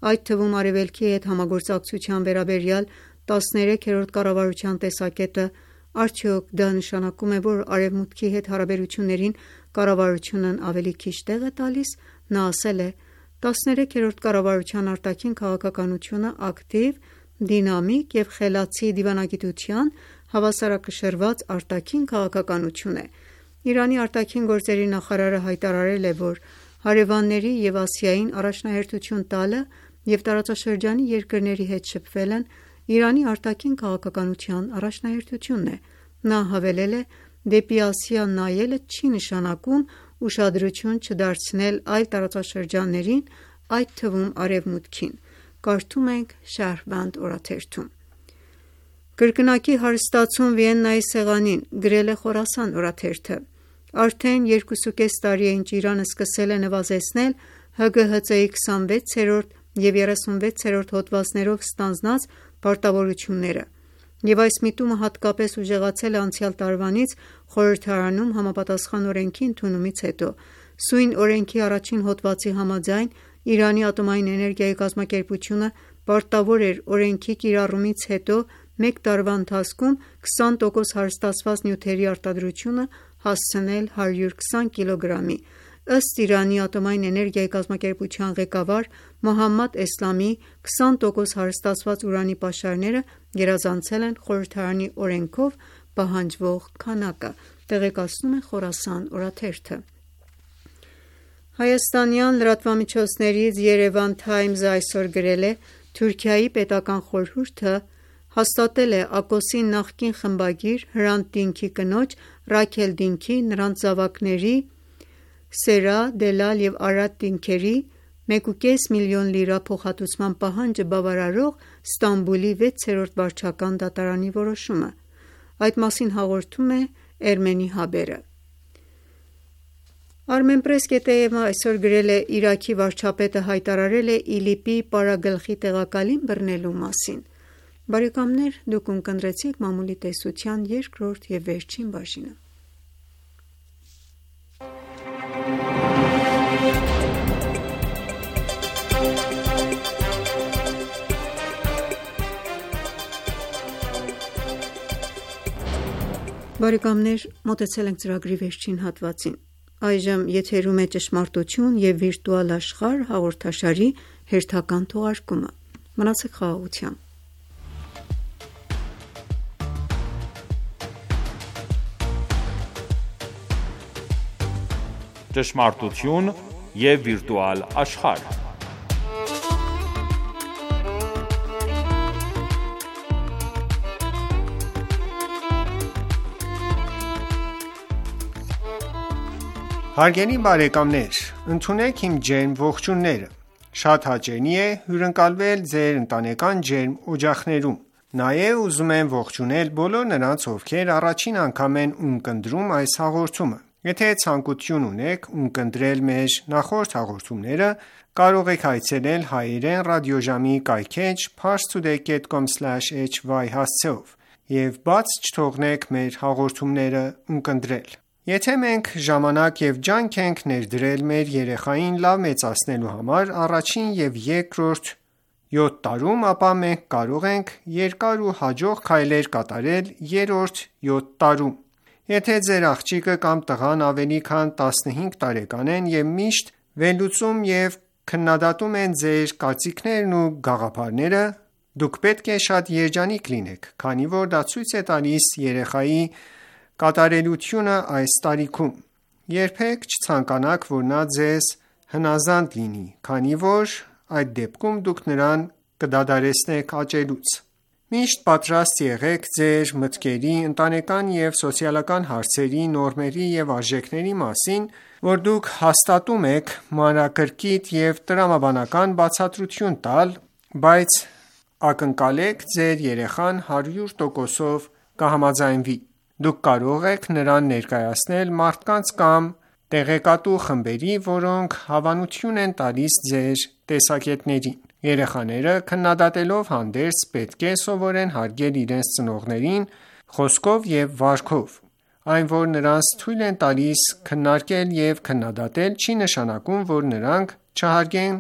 այդ թվում Արևելքի հետ համագործակցության վերաբերյալ տասներեքերորդ կառավարության տեսակետը, արդյոք դա նշանակում է, որ Արևմուտքի հետ հարաբերություններին կառավարությունն ավելի քիչ տեղ է տալիս, նա ասել է. «տասներեքերորդ կառավարության արտաքին քաղաքականությունը ակտիվ, դինամիկ և խելացի դիվանագիտության հավասարակշռված արտաքին քաղաքականություն է»։ Իրանի արտաքին գործերի նախարարը հայտարարել է, որ հարևանների և Ասիային առաջնահերթություն տալը և տարածաշրջանի երկրների հետ շփվելն Իրանի արտաքին քաղաքականության առաջնահերթությունն է։ Նա հավելել է. «Դեպի Ասիա նայելը չի նշանակում ուշադրություն չդարձնել այլ տարածաշրջաններին, այդ թվում Արևմուտքին»։ Կարդում ենք Շահրվանդ օրաթերթում։ Կրկնակի հարստացում Վիեննայի սեղանին, գրել է Խորասան օրաթերթը։ Արդեն երկուսուկես տարի է, ինչ Իրանը սկսել է նվազեցնել ՀԳՀԾ-ի քսանվեցերորդ և երեսունվեցերորդ հոդվածներով ստանձնած պարտավորությունները, և այս միտումը հատկապես ուժեղացել է անցյալ տարվանից խորհրդարանում համապատասխան օրենքի ընդունումից հետո։ Սույն օրենքի առաջին հոդվածի համաձայն Իրանի ատոմային էներգիայի կազմակերպությունը պարտավոր էր օրենքի կիրառումից հետո մեկ տարվա ընթացքում քսան տոկոս հարստացված նյութերի արտադրությունը հասցնել հարյուր քսան կիլոգրամի։ Ըստ Իրանի ատոմային էներգիայի կազմակերպության ղեկավար Մոհամմադ Էսլամի, քսան տոկոս հարստացված ուրանի պաշարները գերազանցել են խորհրդարանի օրենքով պահանջվող քանակը, տեղեկացնում է Խորասան օրաթերթը։ Հայաստանյան լրատվամիջոցներից Երևան Թայմզը այսօր գրել է. Թուրքիայի պետական խորհուրդը հաստատել է Ակոսի նախկին խմբագիր Հրանտ Դինքի կնոջ Ռաքել Դինքի, նրանց զավակների Սերա, Դելալ և Արադ Դինքերի մեկ և կես միլիոն լիրա փոխհատուցման պահանջը բավարարող Ստամբուլի վեցերորդ վարչական դատարանի որոշումը։ Այդ մասին հաղորդում է Էրմենի Հաբերը։ Armenpress.am-ը այսօր գրել է. Իրաքի վարչապետը հայտարարել է ԻԼԻՊ-ի պարագլխի տեղակալին բռնելու մասին։ Բարեկամներ, դուք ունկնդրեցիք մամուլի տեսության երկրորդ և վերջին բաժինը։ Բարեկամներ, մոտեցել ենք ծրագրի վերջին հատվածին։ Այժմ եթերում է ճշմարտություն և վիրտուալ աշխարհ հաղորդաշարի հերթական թողարկումը։ Մնացեք խաղաղությամբ։ Ճշմարտություն և վիրտուալ աշխարհ։ Հարգելի բարեկամներ, ընդունեք իմ ջերմ ողջույնները։ Շատ հաճելի է հյուրընկալվել ձեր ընտանեկան ջերմ օջախներում։ Նաև ուզում եմ ողջունել բոլոր նրանց, ովքեր առաջին անգամ են ունկնդրում այս հաղորդումը։ Եթե ցանկություն ունեք ունկնդրել մեր նախորդ հաղորդումները, կարող եք այցելել հայերեն ռադիոժամի կայքէջ parstoday dot com slash h y հասցեով և բաց չթողնեք մեր հաղորդումները ունկնդրել։ Եթե մենք ժամանակ և ջանք ենք ներդրել մեր երեխային լավ մեծացնելու համար առաջին և երկրորդ յոթ տարում, ապա մենք կարող ենք երկար ու հաջող քայլեր կատարել երրորդ յոթ տարում։ Եթե ձեր աղջիկը կամ տղան ավելի քան տասնհինգ տարեկան են և միշտ վերլուծում և քննադատում են ձեր կարծիքներն ու գաղափարները, դուք պետք է շատ երջանիկ լինեք, քանի որ դա ցույց է տալիս երեխայի կատարելությունը այս տարիքում։ Երբեք չցանկանաք, որ նա ձեզ հնազանդ լինի, քանի որ այդ դեպքում դուք նրան կդադարեցնեք աճելուց։ Միշտ պատրաստ եղեք ձեր մտքերի, ընտանեկան և սոցիալական հարցերի, նորմերի և արժեքների մասին, որ դուք հաստատում եք, մանրակրկիտ և տրամաբանական բացատրություն տալ, բայց ակնկալեք ձեր երեխան հարյուր տոկոսով կհամաձայնվի։ Դուք կարող եք նրան ներկայացնել մարդկանց կամ տեղեկատու խմբերի, որոնք հավանություն են տալիս ձեր տեսակետներին։ Երեխաները քննադատելով հանդերձ պետք է սովորեն հարգել իրենց ծնողներին խոսքով և վարքով: Այն, որ նրանց թույլ են տալիս քննարկել և քննադատել, չի նշանակում, որ նրանք չհարգեն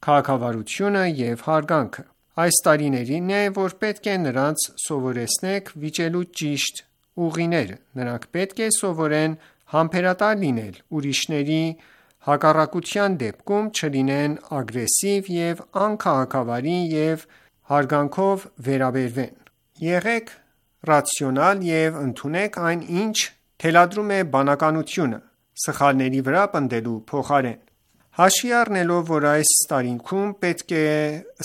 քաղաքավարությունը և հարգանքը: Այս տարիներին է, որ պետք է նրանց սովորեցնեք վիճելու ճիշտ ուղիները: Նրանք պետք է սովորեն համբերատար լինել, ուրիշների հակառակության դեպքում չլինեն ագրեսիվ և անքաղաքավարի և հարգանքով վերաբերվեն: Եղեք ռացիոնալ և ընդունեք այն, ինչ թելադրում է բանականությունը, սխալների վրա պնդելու փոխարեն: Հաշվի առնելով, որ այս տարիքում պետք է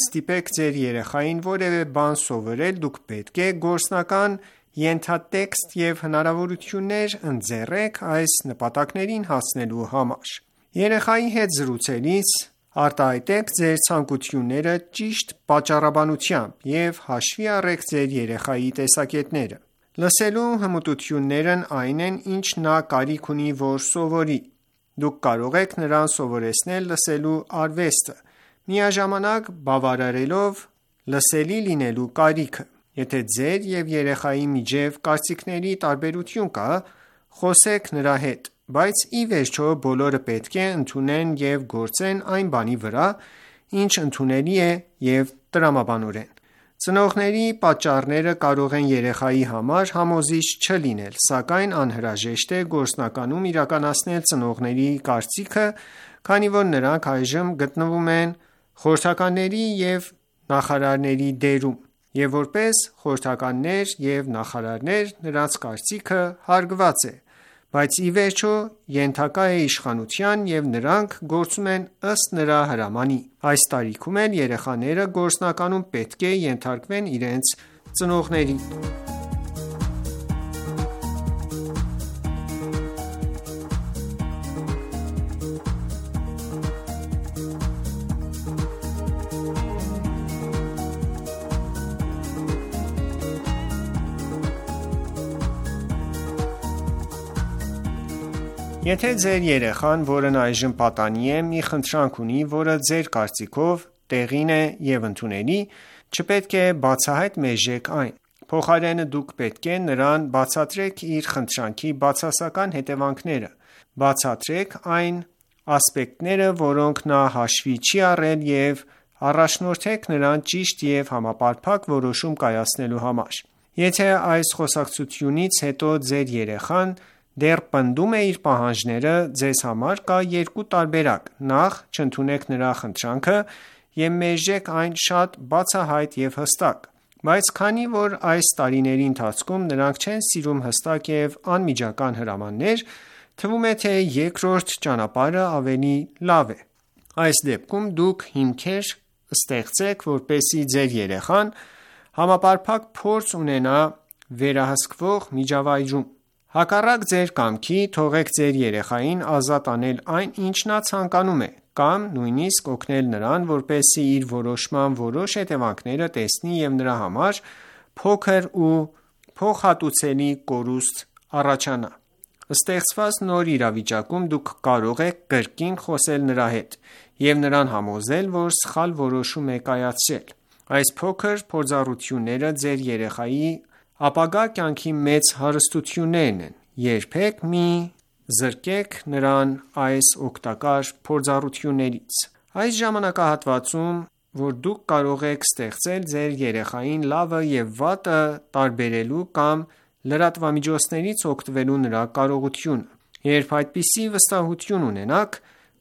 ստիպեք ձեր երեխային որևէ բան սովորել, դուք պետք է գործնական ենթատեքստ և հնարավորություններ ընձեռեք այս նպատակներին հասնելու համար: Երեխայի հետ զրուցելիս արտահայտեք ձեր ցանկությունները ճիշտ պատճառաբանությամբ և հաշվի առեք ձեր երեխայի տեսակետները: Լսելու հմտություններն այն են, ինչ նա կարիք ունի, որ սովորի: Դուք կարող եք նրան սովորեցնել լսելու արվեստը, միաժամանակ բավարարելով լսելի լինելու կարիքը: Եթե ձեր և երեխայի միջև կարծիքների տարբերություն կա, խոսեք նրա հետ: Բայց ի վերջո բոլորը պետք է ընդունեն և գործեն այն բանի վրա, ինչ ընդունելի է և տրամաբանորեն: Ծնողների պատճառները կարող են երեխայի համար համոզիչ չլինել, սակայն անհրաժեշտ է գործնականում իրականացնել ծնողների կարծիքը, քանի որ նրանք այժմ գտնվում են խորհրդականների և նախարարների դերում, և որպես խորհրդականներ և նախարարներ նրանց կարծիքը հարգված է, բայց ի վերջո ենթակա է իշխանության և նրանք գործում են ըստ նրա հրամանի: Այս տարիքում էլ երեխաները գործնականում պետք է ենթարկվեն իրենց ծնողներին: Եթե ձեր երեխան, որն այժմ պատանի է, մի խնդրանք ունի, որը ձեր կարծիքով տեղին է և ընդունելի, չպետք է բացահայտ մերժեք այն: Փոխարենը դուք պետք է նրան բացատրեք իր խնդրանքի բացասական հետևանքները: Բացատրեք այն ասպեկտները, որոնք նա հաշվի չի առել և առաջնորդեք նրան ճիշտ և համապարփակ որոշում կայացնելու համար: Եթե այս խոսակցությունից հետո ձեր երեխան դեռ պնդում է իր պահանջները, ձեզ համար կա երկու տարբերակ: Նախ չընդունեք նրա խնդրանքը և մերժեք այն շատ բացահայտ և հստակ: Բայց քանի որ այս տարիների ընթացքում նրանք չեն սիրում հստակ և անմիջական հրամաններ, թվում է, թե երկրորդ ճանապարհը ավելի լավ է: Այս դեպքում դուք հիմքեր ստեղծեք, որպեսզի ձեր երեխան համապարփակ փորձ ունենա վերահսկվող միջավայրում: Հակառակ ձեր կամքի, թողեք ձեր երեխային ազատ անել այն, ինչ նա ցանկանում է, կամ նույնիսկ օգնել նրան, որպեսզի իր որոշման որոշ հետևանքները տեսնի և նրա համար փոքր ու փոխհատուցելի կորուստ առաջանա: Ստեղծված նոր իրավիճակում դուք կարող եք կրկին խոսել նրա հետ և նրան համոզել, որ սխալ որոշում է կայացրել: Այս փոքր փորձառությունները ձեր երեխայի ապագա կյանքի մեծ հարստություններն են: Երբեք մի զրկեք նրան այս օգտակար փորձառություններից: Այս ժամանակահատվածում, որ դուք կարող եք ստեղծել ձեր երեխային լավը և վատը տարբերելու կամ լրատվամիջոցներից օգտվելու նրա կարողությունը: Երբ այդպիսի վստահություն ունենաք,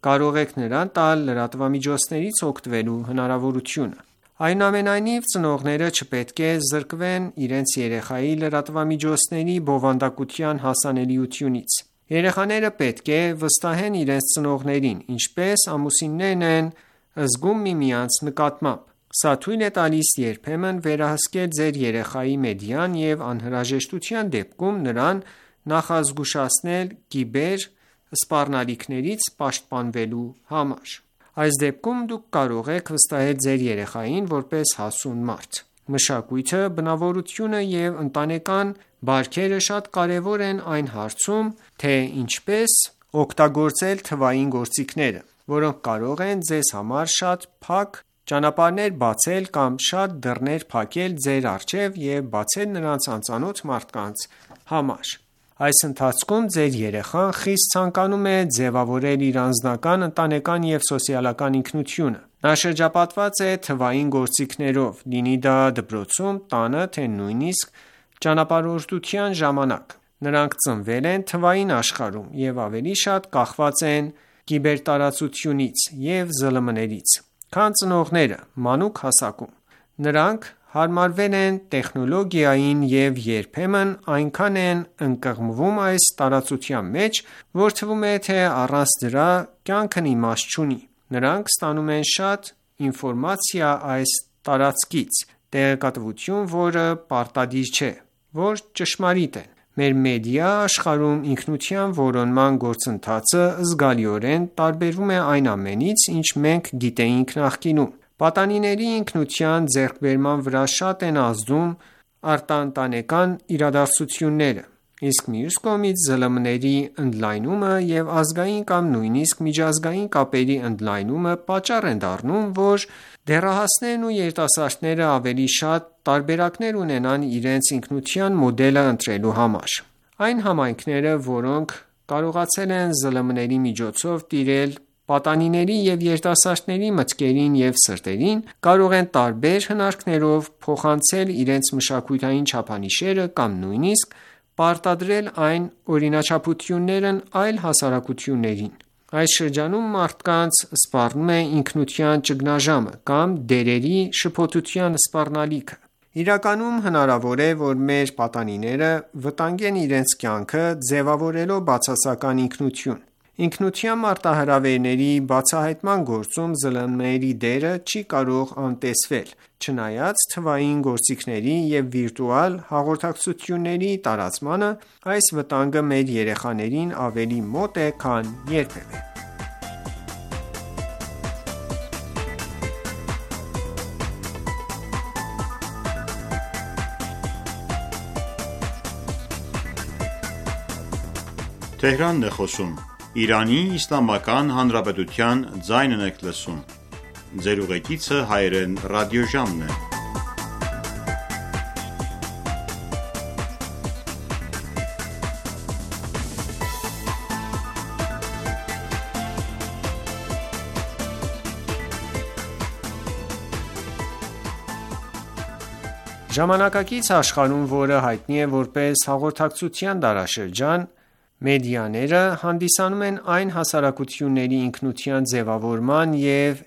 կարող եք նրան տալ լրատվամիջոցներից օգտվելու հնարավորությունը: Այնուամենայնիվ, ծնողները չպետք է զրկվեն իրենց երեխայի լրատվամիջոցների բովանդակության հասանելիությունից: Երեխաները պետք է վստահեն իրենց ծնողներին, ինչպես ամուսիններն են զգում միմյանց նկատմամբ: Սա թույլ է տալիս երբեմն վերահսկել ձեր երեխայի մեդիան և անհրաժեշտության դեպքում նրան նախազգուշացնել կիբեր սպառնալիքներից պաշտպանվելու համար: Այս դեպքում դուք կարող եք վստահել ձեր երեխային որպես հասուն մարդ: Մշակույթը, բնավորությունը և ընտանեկան բարքերը շատ կարևոր են այն հարցում, թե ինչպես օգտագործել թվային գործիքները, որոնք կարող են ձեզ համար շատ փակ ճանապարհներ բացել կամ շատ դռներ փակել ձեր առջև և բացել նրանց անծանոթ մարդկանց համար: Այս ընթացքում ձեր երեխան խիստ ցանկանում է ձևավորել իր անձնական, ընտանեկան և սոցիալական ինքնությունը: Նա շրջապատված է թվային գործիքներով, լինի դա դպրոցում, տանը, թե նույնիսկ ճանապարհորդության ժամանակ: Նրանք ծնվել են թվային աշխարհում և ավելի շատ կախված են կիբերտարածությունից և ԶԼՄ-ներից, քան ծնողները մանուկ հասակում: Նրանք հարմարվել են տեխնոլոգիային և երբեմն այնքան են ընկղմվում այս տարածության մեջ, որ թվում է, թե առանց դրա կյանքն իմաստ չունի: Նրանք ստանում են շատ ինֆորմացիա այս տարածքից, տեղեկատվություն, որը պարտադիր չէ, որ ճշմարիտ են: Մեր մեդիա աշխարհում ինքնության որոնման գործընթացը զգալիորեն տարբերվում է այն ամենից, ինչ մենք գիտեինք նախկինում: Պատանիների ինքնության ձեռքբերման վրա շատ են ազդում արտաընտանեկան իրադարձությունները, իսկ մյուս կողմից ԶԼՄ-ների ընդլայնումը և ազգային կամ նույնիսկ միջազգային կապերի ընդլայնումը պատճառ են դառնում, որ դեռահասներն ու երիտասարդները ավելի շատ տարբերակներ ունենան իրենց ինքնության մոդելը ընտրելու համար: Այն համայնքները, որոնք կարողացել են ԶԼՄ-ների միջոցով տիրել պատանիների և երիտասարդների մտքերին և սրտերին, կարող են տարբեր հնարքներով փոխանցել իրենց մշակութային չափանիշները կամ նույնիսկ պարտադրել այս օրինաչափություններն այլ հասարակություններին: Այս շրջանում մարդկանց սպառնում է ինքնության ճգնաժամը կամ դերերի շփոթության սպառնալիքը: Իրականում հնարավոր է, որ մեր պատանիները վտանգեն իրենց կյանքը ձևավորելով բացասական ինքնություն: Ինքնության մարտահրավերների բացահայտման գործում ԶԼՄ-ների դերը չի կարող անտեսվել: Չնայած թվային գործիքների և վիրտուալ հաղորդակցությունների տարածմանը, այս վտանգը մեր երեխաներին ավելի մոտ է, քան երբևէ: Ժամանակակից աշխարհում, որը հայտնի է որպես հաղորդակցության դարաշրջան, մեդիաները հանդիսանում են այն հասարակությունների ինքնության ձևավորման և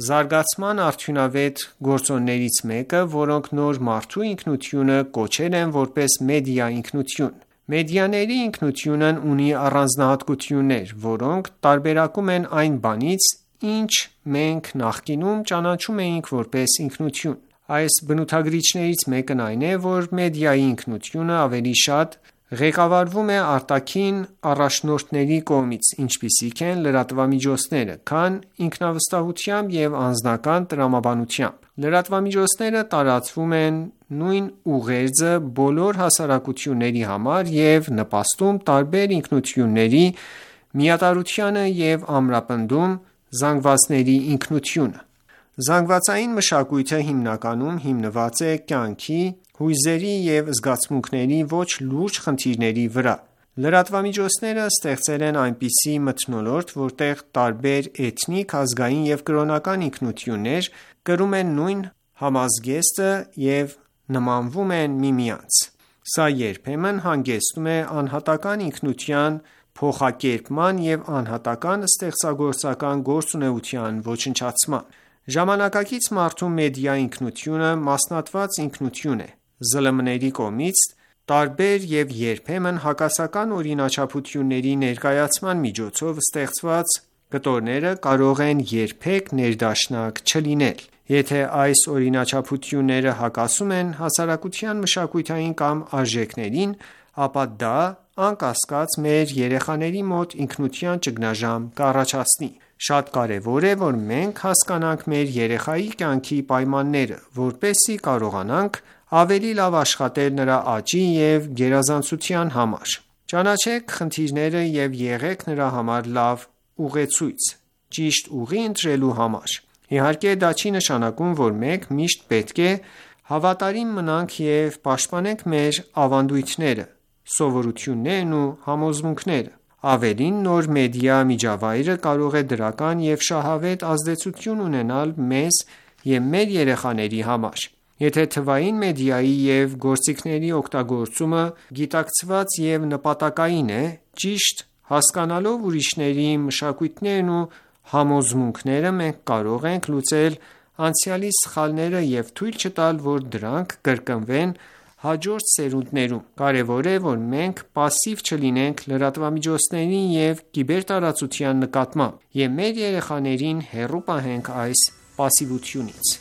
զարգացման արդյունավետ գործոններից մեկը, որոնք նոր մարդու ինքնությունը կոչել են որպես մեդիա ինքնություն: Մեդիաների ինքնությունն ունի առանձնահատկություններ, որոնք տարբերակում են այն բանից, ինչ մենք նախկինում ճանաչում էինք որպես ինքնություն: Այս բնութագրիչներից մեկն այն է, որ մեդիայի ինքնությունը ավելի շատ ղեկավարվում է արտաքին առաջնորդների կողմից, ինչպիսիք են լրատվամիջոցները, քան ինքնավստահությամբ և անձնական տրամաբանությամբ: Լրատվամիջոցները տարածում են նույն ուղերձը բոլոր հասարակությունների համար և նպաստում տարբեր ինքնությունների միատարրությանը և ամրապնդում զանգվածների ինքնությունը: Զանգվածային մշակույթը հիմնականում հիմնված է կյանքի, հույզերի և զգացմունքների ոչ լուրջ խնդիրների վրա: Լրատվամիջոցները ստեղծել են այնպիսի մթնոլորտ, որտեղ տարբեր էթնիկ, ազգային և կրոնական ինքնություններ կրում են նույն համազգեստը և նմանվում են միմյանց: Սա երբեմն հանգեցնում է անհատական ինքնության փոխակերպման և անհատական ստեղծագործական գործունեության ոչնչացման: Ժամանակակից մարդու մեդիա ինքնությունը մասնատված ինքնություն է: ԶԼՄ-ների կողմից տարբեր և երբեմն հակասական օրինաչափությունների ներկայացման միջոցով ստեղծված կտորները կարող են երբեք ներդաշնակ չլինել: Եթե այս օրինաչափությունները հակասում են հասարակության մշակութային կամ արժեքներին, ապա դա անկասկած մեր երեխաների մոտ ինքնության ճգնաժամ կառաջացնի: Շատ կարևոր է, որ մենք հասկանանք մեր երեխայի կյանքի պայմանները, որպեսզի կարողանանք ավելի լավ աշխատել նրա աճի և գերազանցության համար: Ճանաչեք խնդիրները և եղեք նրա համար լավ ուղեցույց՝ ճիշտ ուղի ընտրելու համար: Իհարկե, դա չի նշանակում, որ մենք միշտ պետք է հավատարիմ մնանք և պաշտպանենք մեր ավանդույթները, սովորություններն ու համոզմունքները: Ավելին, նոր մեդիա միջավայրը կարող է դրական և շահավետ ազդեցություն ունենալ մեզ և մեր երեխաների համար: Եթե թվային մեդիայի և գործիքների օգտագործումը գիտակցված և նպատակային է, ճիշտ հասկանալով ուրիշների մշակույթներն ու համոզմունքները, մենք կարող ենք լուծել անցյալի սխալները և թույլ չտալ, որ դրանք կրկնվեն հաջորդ սերունդներում: Կարևոր է, որ մենք պասիվ չլինենք լրատվամիջոցների և կիբերտարածության նկատմամբ և մեր երեխաներին հեռու պահենք այս պասիվությունից: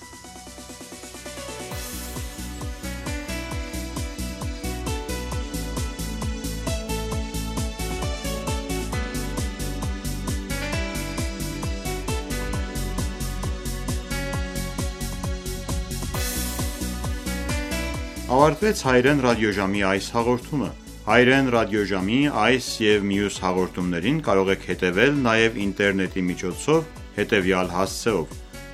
Ավարտվեց հայերեն ռադիոժամի այս հաղորդումը: Հայերեն ռադիոժամի այս և մյուս հաղորդումներին կարող եք հետևել նաև ինտերնետի միջոցով հետևյալ հասցեով՝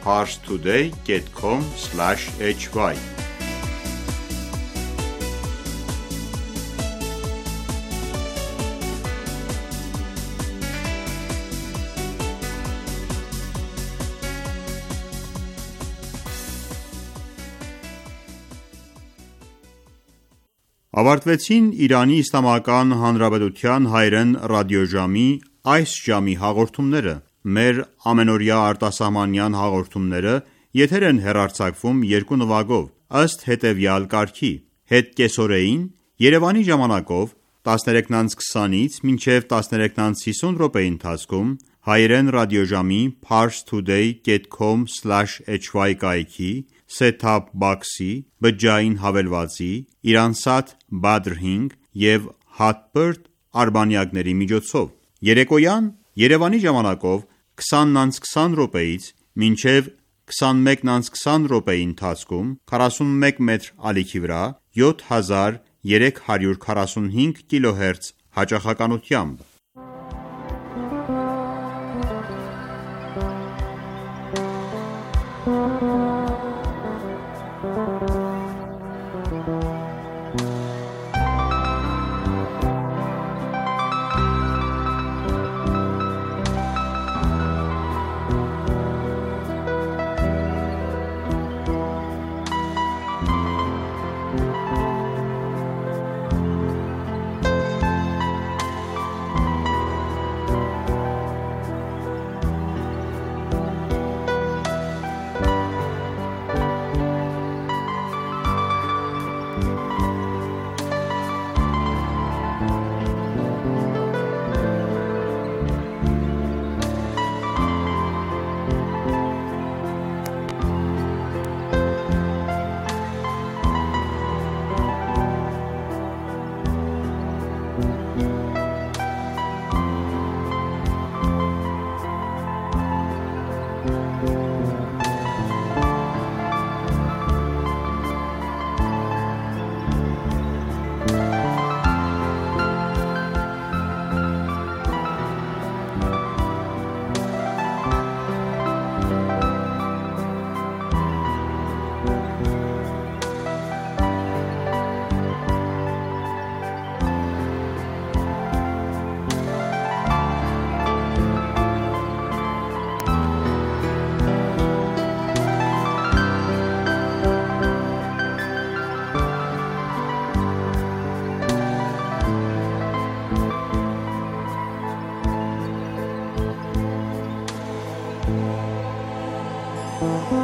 parstoday dot com slash h y Ավարտվեցին Իրանի Իսլամական Հանրապետության հայերեն ռադիոժամի այս ժամի հաղորդումները: Մեր ամենօրյա արտասահմանյան հաղորդումները եթեր են հեռարձակվում երկու նվագով, ըստ հետևյալ կարգի՝ հետ կեսօրեին Երևանի ժամանակով տասներեքից քսանից մինչև տասներեքից հիսուն րոպեի ընթացքում հայերեն ռադիոժամի parstoday dot com slash h y կայքի, set-top box-ի, բջջային հավելվածի, Iransat Badr հինգ և Hotbird արբանյակների միջոցով: Երեկոյան Երևանի ժամանակով քսանից քսան րոպեից մինչև քսանմեկից քսան րոպեի ընթացքում քառասունմեկ մետր ալիքի վրա յոթ հազար երեք հարյուր քառասունհինգ կիլոհերց հաճախականությամբ: Thank you.